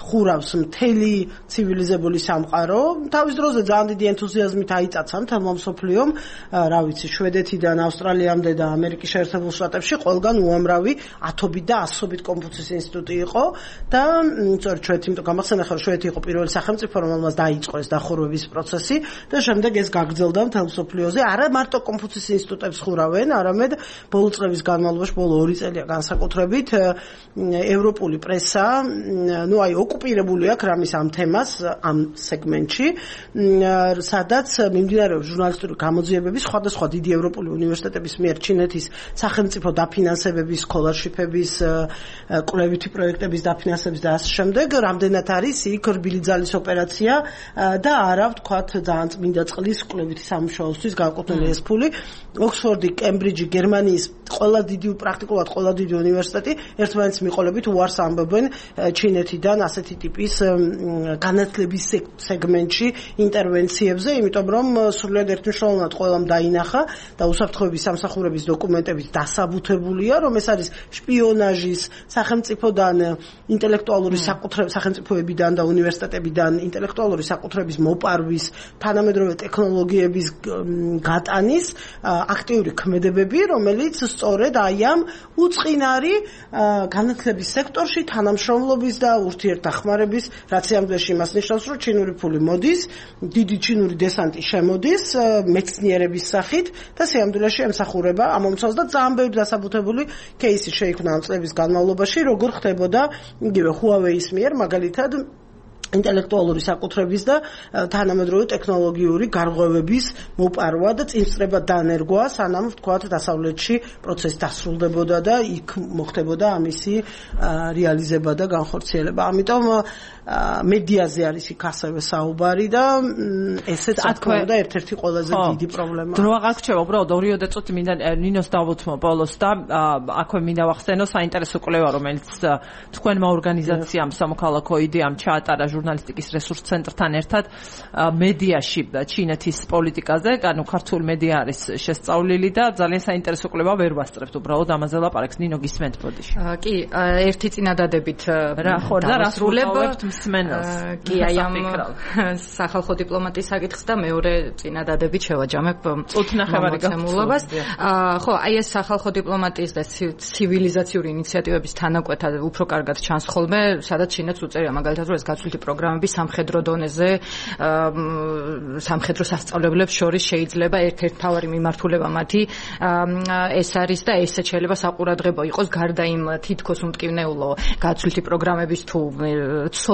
C: ხურავს მთელი ცივილიზებული სამყარო. თავის დროზე ძალიან დიდი ენთუზიაზმით აიწაცა მთელმა მსოფლიომ, რა ვიცი, შვედეთიდან ავსტრალიამდე და ამერიკის შეერთებულ შტატებში ყველგან უამრავი ათობით და ასობით კონფუცის ინსტიტუტი იყო და სწორედ შვედეთი, იმიტომ გამახსენე ხარ შვედეთი იყო პირველი სახელმწიფო, რომელმაც დაიწყო ეს დახურვების პროცესი და შემდეგ ეს გაგრძელდა მთელ მსოფლიოზე. არა მარტო კონფუცის ინსტიტუტებს ხურავენ, არამედ ბოლო წლების განმავლობაში, ბოლო ორი წელია განსაკუთრებით ევროპული პრესა, ну აი ოკუპირებული აქვს რამის ამ თემას, ამ სეგმენტში, სადაც მიმდინარეობს ჟურნალისტური გამოძიებები სხვადასხვა დიდი ევროპული უნივერსიტეტების მიერ ჩინეთის სახელმწიფო დაფინანსებების, სკოლარშიფების, კვლევითი პროექტების დაფინანსების და ასე შემდეგ, რამდენად არის იქ რბილი ძალის ოპერაცია და არა ვთქვათ ძალიან წმინდა წყლის კვლევითი სამუშაოსთვის განკუთვნილი ეს ფული. ოქსფორდი, კემბრიჯი, გერმანიის ყველა დიდი პრაქტიკულად ყველა დიდი უნივერსიტეტი ერთმანეთს მიყოლებით უარს ამბობენ ჩინეთიდან ასეთი ტიპის განათლების სეგმენტში ინტერვენციებზე, იმიტომ რომ სრულიად ერთმნიშვნელოვნად ყველამ დაინახა და უსაფრთხოების სამსახურების დოკუმენტებით დასაბუთებულია, რომ ეს არის შპიონაჟის, სახელმწიფოდან ინტელექტუალური საკუთრების, სახელმწიფოებიდან და უნივერსიტეტებიდან ინტელექტუალური საკუთრების მოპარვის, თანამედროვე ტექნოლოგიების გატანის აქტიური ქმედებები, რომელიც სწორედ აი ამ უწყინარი განათლების სექტორში თანამშრომლობის და ურთიერთდახმარების რაციამდეში იმას ნიშნავს, რომ ჩინური ფული მოდის, დიდი ჩინური დესანტი შემოდის მეცნიერების სახით და სიამდვილეში ემსახურება ამ მომცავს და ძალიან ბევრი დასაბუთებული кейსი შეიქმნა ამ წლების განმავლობაში, როგორ ხდებოდა იგივე Huawei-ის მიერ მაგალითად ინტელექტუალური საკუთრების და თანამედროვე ტექნოლოგიური გარღვევების მოპარვა და წინსწრება დანერგვა, სანამ ვთქვათ დასავლეთში პროცესი დასრულდებოდა და იქ მოხდებოდა ამისი რეალიზება და განხორციელება. ამიტომ მედიაზე არის იქ ასევე საუბარი და ესეც თქმა უნდა ერთ-ერთი ყველაზე დიდი პრობლემაა.
A: დრო აღარ გრჩება, უბრალოდ ორიოდე წუთი მინდა ნინოს დავუთმო ბოლოს და აქვე მინდა ვახსენო საინტერესო კვლევა, რომელიც თქვენმა ორგანიზაციამ სამოქალაქო იდეამ ჩაატარა ჟურნალისტიკის რესურს ცენტრთან ერთად მედიაში ჩინეთის პოლიტიკაზე, ანუ ქართული მედია არის შესწავლილი და ძალიან საინტერესო კვლევა ვერ ვასწრებთ, უბრალოდ ამაზე ლაპარაკს. ნინო გისმენთ ბოდიში.
B: კი, ერთი წინადადებით
A: რა ხო და რას ვუყურებთ მსმენელს.
B: კი, აი ამ სახალხო დიპლომატიის საკითხს და მეორე წინადადებით შევაჯამებ
A: წუთნახევარი
B: გამოცემულობას. ხო, აი ეს სახალხო დიპლომატიის და ცივილიზაციური ინიციატივების თანაკვეთა უფრო კარგად ჩანს ხოლმე, სადაც ჩინეთს უწერია მაგალითად რომ ეს გაცვლითი პროგრამები სამხედრო დონეზე სამხედრო სასწავლებლებს შორის შეიძლება ერთ-ერთი მთავარი მიმართულება მათი ეს არის და ესეც შეიძლება საყურადღებო იყოს გარდა იმ თითქოს უმტკივნეულო გაცვლითი პროგრამების თუ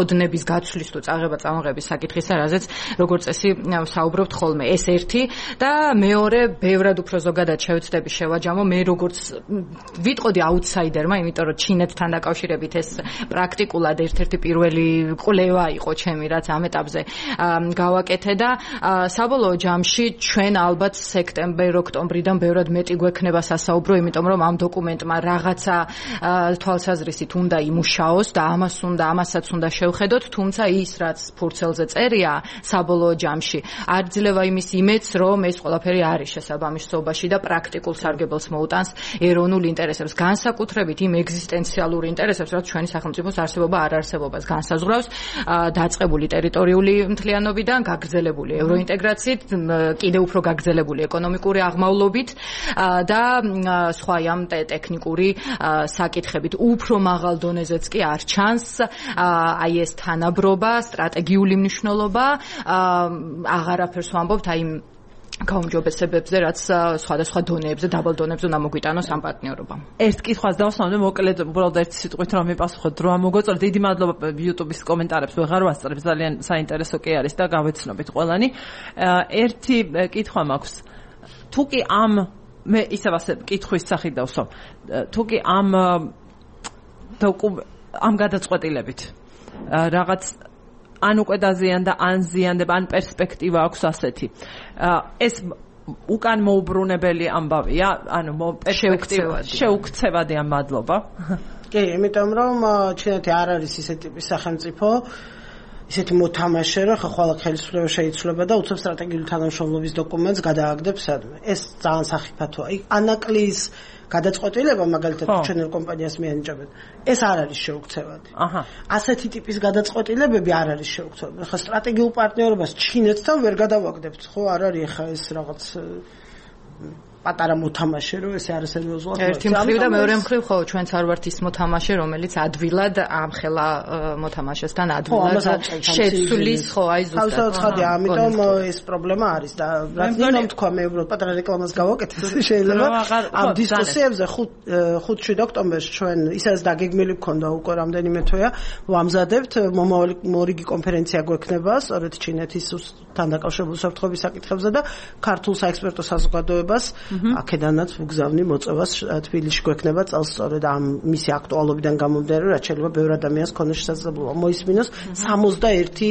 B: ოდნების გაცვლის თუ წაღება წამოღების საკითხისა, რაზეც როგორც წესი საუბრობთ ხოლმე. ეს ერთი და მეორე, ბევრად უფრო ზოგადად შევეცდები შევაჯამო მე როგორც ვიტყოდი აუთსაიდერმა, იმიტომ რომ ჩინეთთან დაკავშირებით ეს პრაქტიკულად ერთ-ერთი პირველი კვლევა იყო ჩემი, რაც ამ ეტაპზე გავაკეთე და საბოლოო ჯამში ჩვენ ალბათ სექტემბერ-ოქტომბრიდან ბევრად მეტი გვექნება სასაუბრო, იმიტომ რომ ამ დოკუმენტმა რაღაცა თვალსაზრისით უნდა იმუშაოს და ამას უნდა ამასაც უნდა შევხედოთ, თუმცა ის რაც ფურცელზე წერია საბოლოო ჯამში არ ძლევა იმის იმედს, რომ ეს ყველაფერი არის შესაბამისობაში და პრაქტიკულ სარგებელს მოუტანს ეროვნულ ინტერესებს, განსაკუთრებით იმ ეგზისტენციალურ ინტერესებს, რაც ჩვენი სახელმწიფოს არსებობა არ არსებობას განსაზღვრავს, დაწყებული ტერიტორიული მთლიანობიდან, გაგრძელებული ევროინტეგრაციით, კიდევ უფრო გაგრძელებული ეკონომიკური აღმავლობით და სხვა ამ ტექნიკური საკითხებით. უფრო მაღალ დონეზეც კი არ ჩანს აი ეს თანაბრობა, სტრატეგიული მნიშვნელობა, აღარაფერს ვამბობთ აი გაუმჯობესებებზე, რაც სხვადასხვა დონეებზე, დაბალ დონეებზე უნდა მოგვიტანოს ამ პარტნიორობამ.
A: ერთ კითხვას დავსვამდი, მოკლედ უბრალოდ ერთი სიტყვით რომ მიპასუხოთ, რა მოგოწონა. დიდი მადლობა YouTube-ის კომენტარებს ვეღარ ვასწრებ, ძალიან საინტერესო კი არის და გავეცნობით ყველანი. ერთი კითხვა მაქვს. თუ კი ამ მე ისევ ასე კითხვის სახით დავსვამ. თუ კი ამ ამ გადაწყვეტილებით რაღაც ან უკვე დაზიანდა, ან ზიანდება, ან პერსპექტივა აქვს ასეთი. ეს უკან მოუბრუნებელი ამბავია, ანუ პერსპექტივა შეუქცევადი ამ მადლობა.
C: კი, იმიტომ რომ ჩინეთი არ არის ისეთი ტიპის სახელმწიფო, ისეთი მოთამაშე, რომ ხვალ ხელისუფლება შეიცვლება და უცებ სტრატეგიული თანამშრომლობის დოკუმენტს გადააგდებს სადმე. ეს ძალიან სახიფათოა. ანაკლის გადაწყვეტილება მაგალითად ჩვენელ კომპანიას მიენიჭებენ. ეს არ არის შეუქცევადი. აჰა. ასეთი ტიპის გადაწყვეტილებები არ არის შეუქცევადი. ხა სტრატეგიულ პარტნიორობას ჩინეთთან ვერ გადავაგდებთ, ხო? არ არის ხა ეს რაღაც პატარა მოთამაშე, რომ ეს არ სერიოზულად.
B: ერთი მხრივ და მეორე მხრივ ხო ჩვენც არ ვართ ის მოთამაშე, რომელიც ადვილად ამხელა მოთამაშესთან ადვილად შეცვლის, ხო, აი ზუსტად.
C: ხალხი, ამიტომ ეს პრობლემა არის და რაც მინდა თქვა, მე უბრალოდ პატარა რეკლამას გავაკეთე, შეიძლება ამ დისკუსიებზე ხუთი ოქტომბერს ჩვენ ისაც დაგეგმილი გქონდა უკვე რამდენიმე თვეა, ვამზადებთ მომავალი მორიგი კონფერენცია გვექნება, სწორედ ჩინეთის თან დაკავშირებული საფრთხების საკითხებზე და ქართულ საექსპერტო საზოგადოებას აქედანაც ვგზავნი მოწევას თბილისში გვექნება წელს სწორედ ამ მისი აქტუალობიდან გამომდინარე, რაც შეიძლება ბევრ ადამიანს ქონდეს შესაძლებლობა მოისმინოს. სამოცდაერთი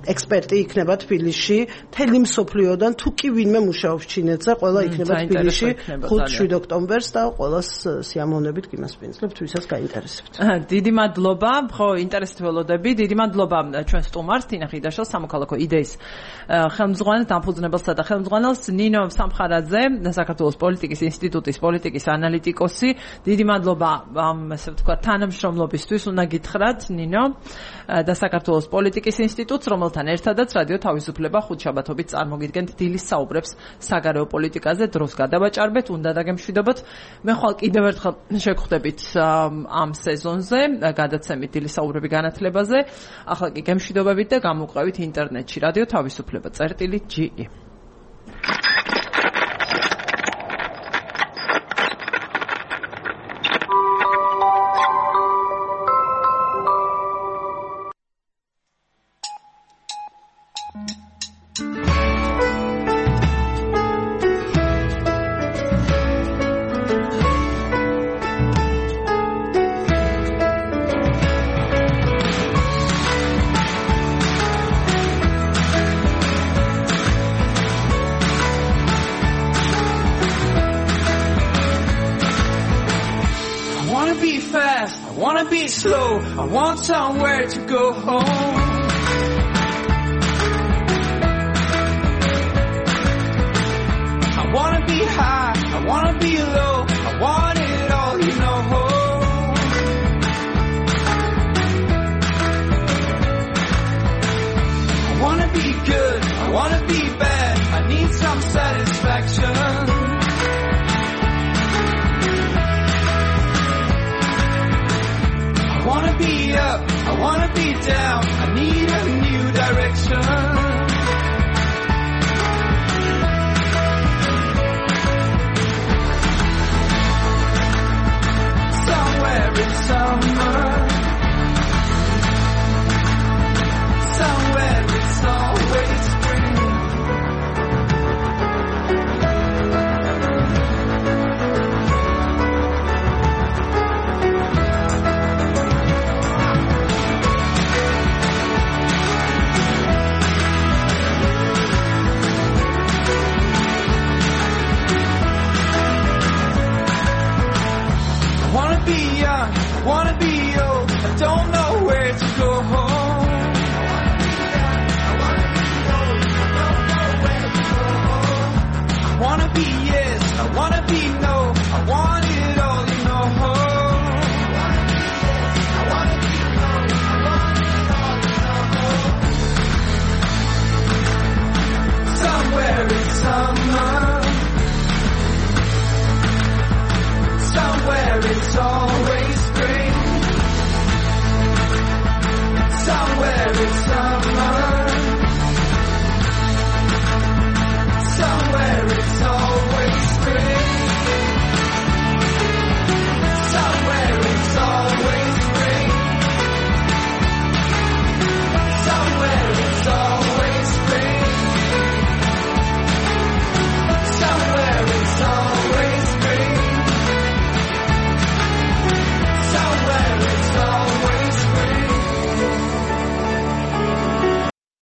C: ექსპერტი იქნება თბილისში, მთელი მსოფლიოდან, თუ კი ვინმე მუშაობს ჩინეთზე, ყველა იქნება თბილისში ხუთი ოქტომბერს და ყველას სიამოვნებით გიმასპინძლებთ, ვისაც გაინტერესებთ.
A: დიდი მადლობა, ხო, ინტერესით ველოდები. დიდი მადლობა ჩვენ სტუმარს, თინა ხიდაშვილს, სამოქალაქო იდეის ხელმძღვანელს, დამფუძნებელსა და ხელმძღვანელს, ნინო სამხარაძე, საქართველოს პოლიტიკის ინსტიტუტის პოლიტიკის ანალიტიკოსი. დიდი მადლობა ამ, ასე ვთქვათ, თანამშრომლობისთვის უნდა გითხრათ, ნინო, და საქართველოს პოლიტიკის ინსტიტუტს, რომელთა ერთადაც რადიო თავისუფლება ხუთშაბათობით წარმოგიდგენთ დილის საუბრებს საგარეო პოლიტიკაზე. დროს გადავაჭარბეთ, უნდა დაგემშვიდობოთ. მე ხვალ კიდევ ერთხელ შეგხვდებით ამ სეზონზე, გადაცემით დილის საუბრები განათლებაზე. ახლა კი გემშვიდობებით და გამოუყევით ინტერნეტში რადიო თავისუფლება წერტილი ჯი ი.
D: I want somewhere to go home. I wanna be high, I wanna be low, I want it all, you know. I wanna be good, I wanna be bad, I need some satisfaction. I wanna be up, I wanna be down, I need a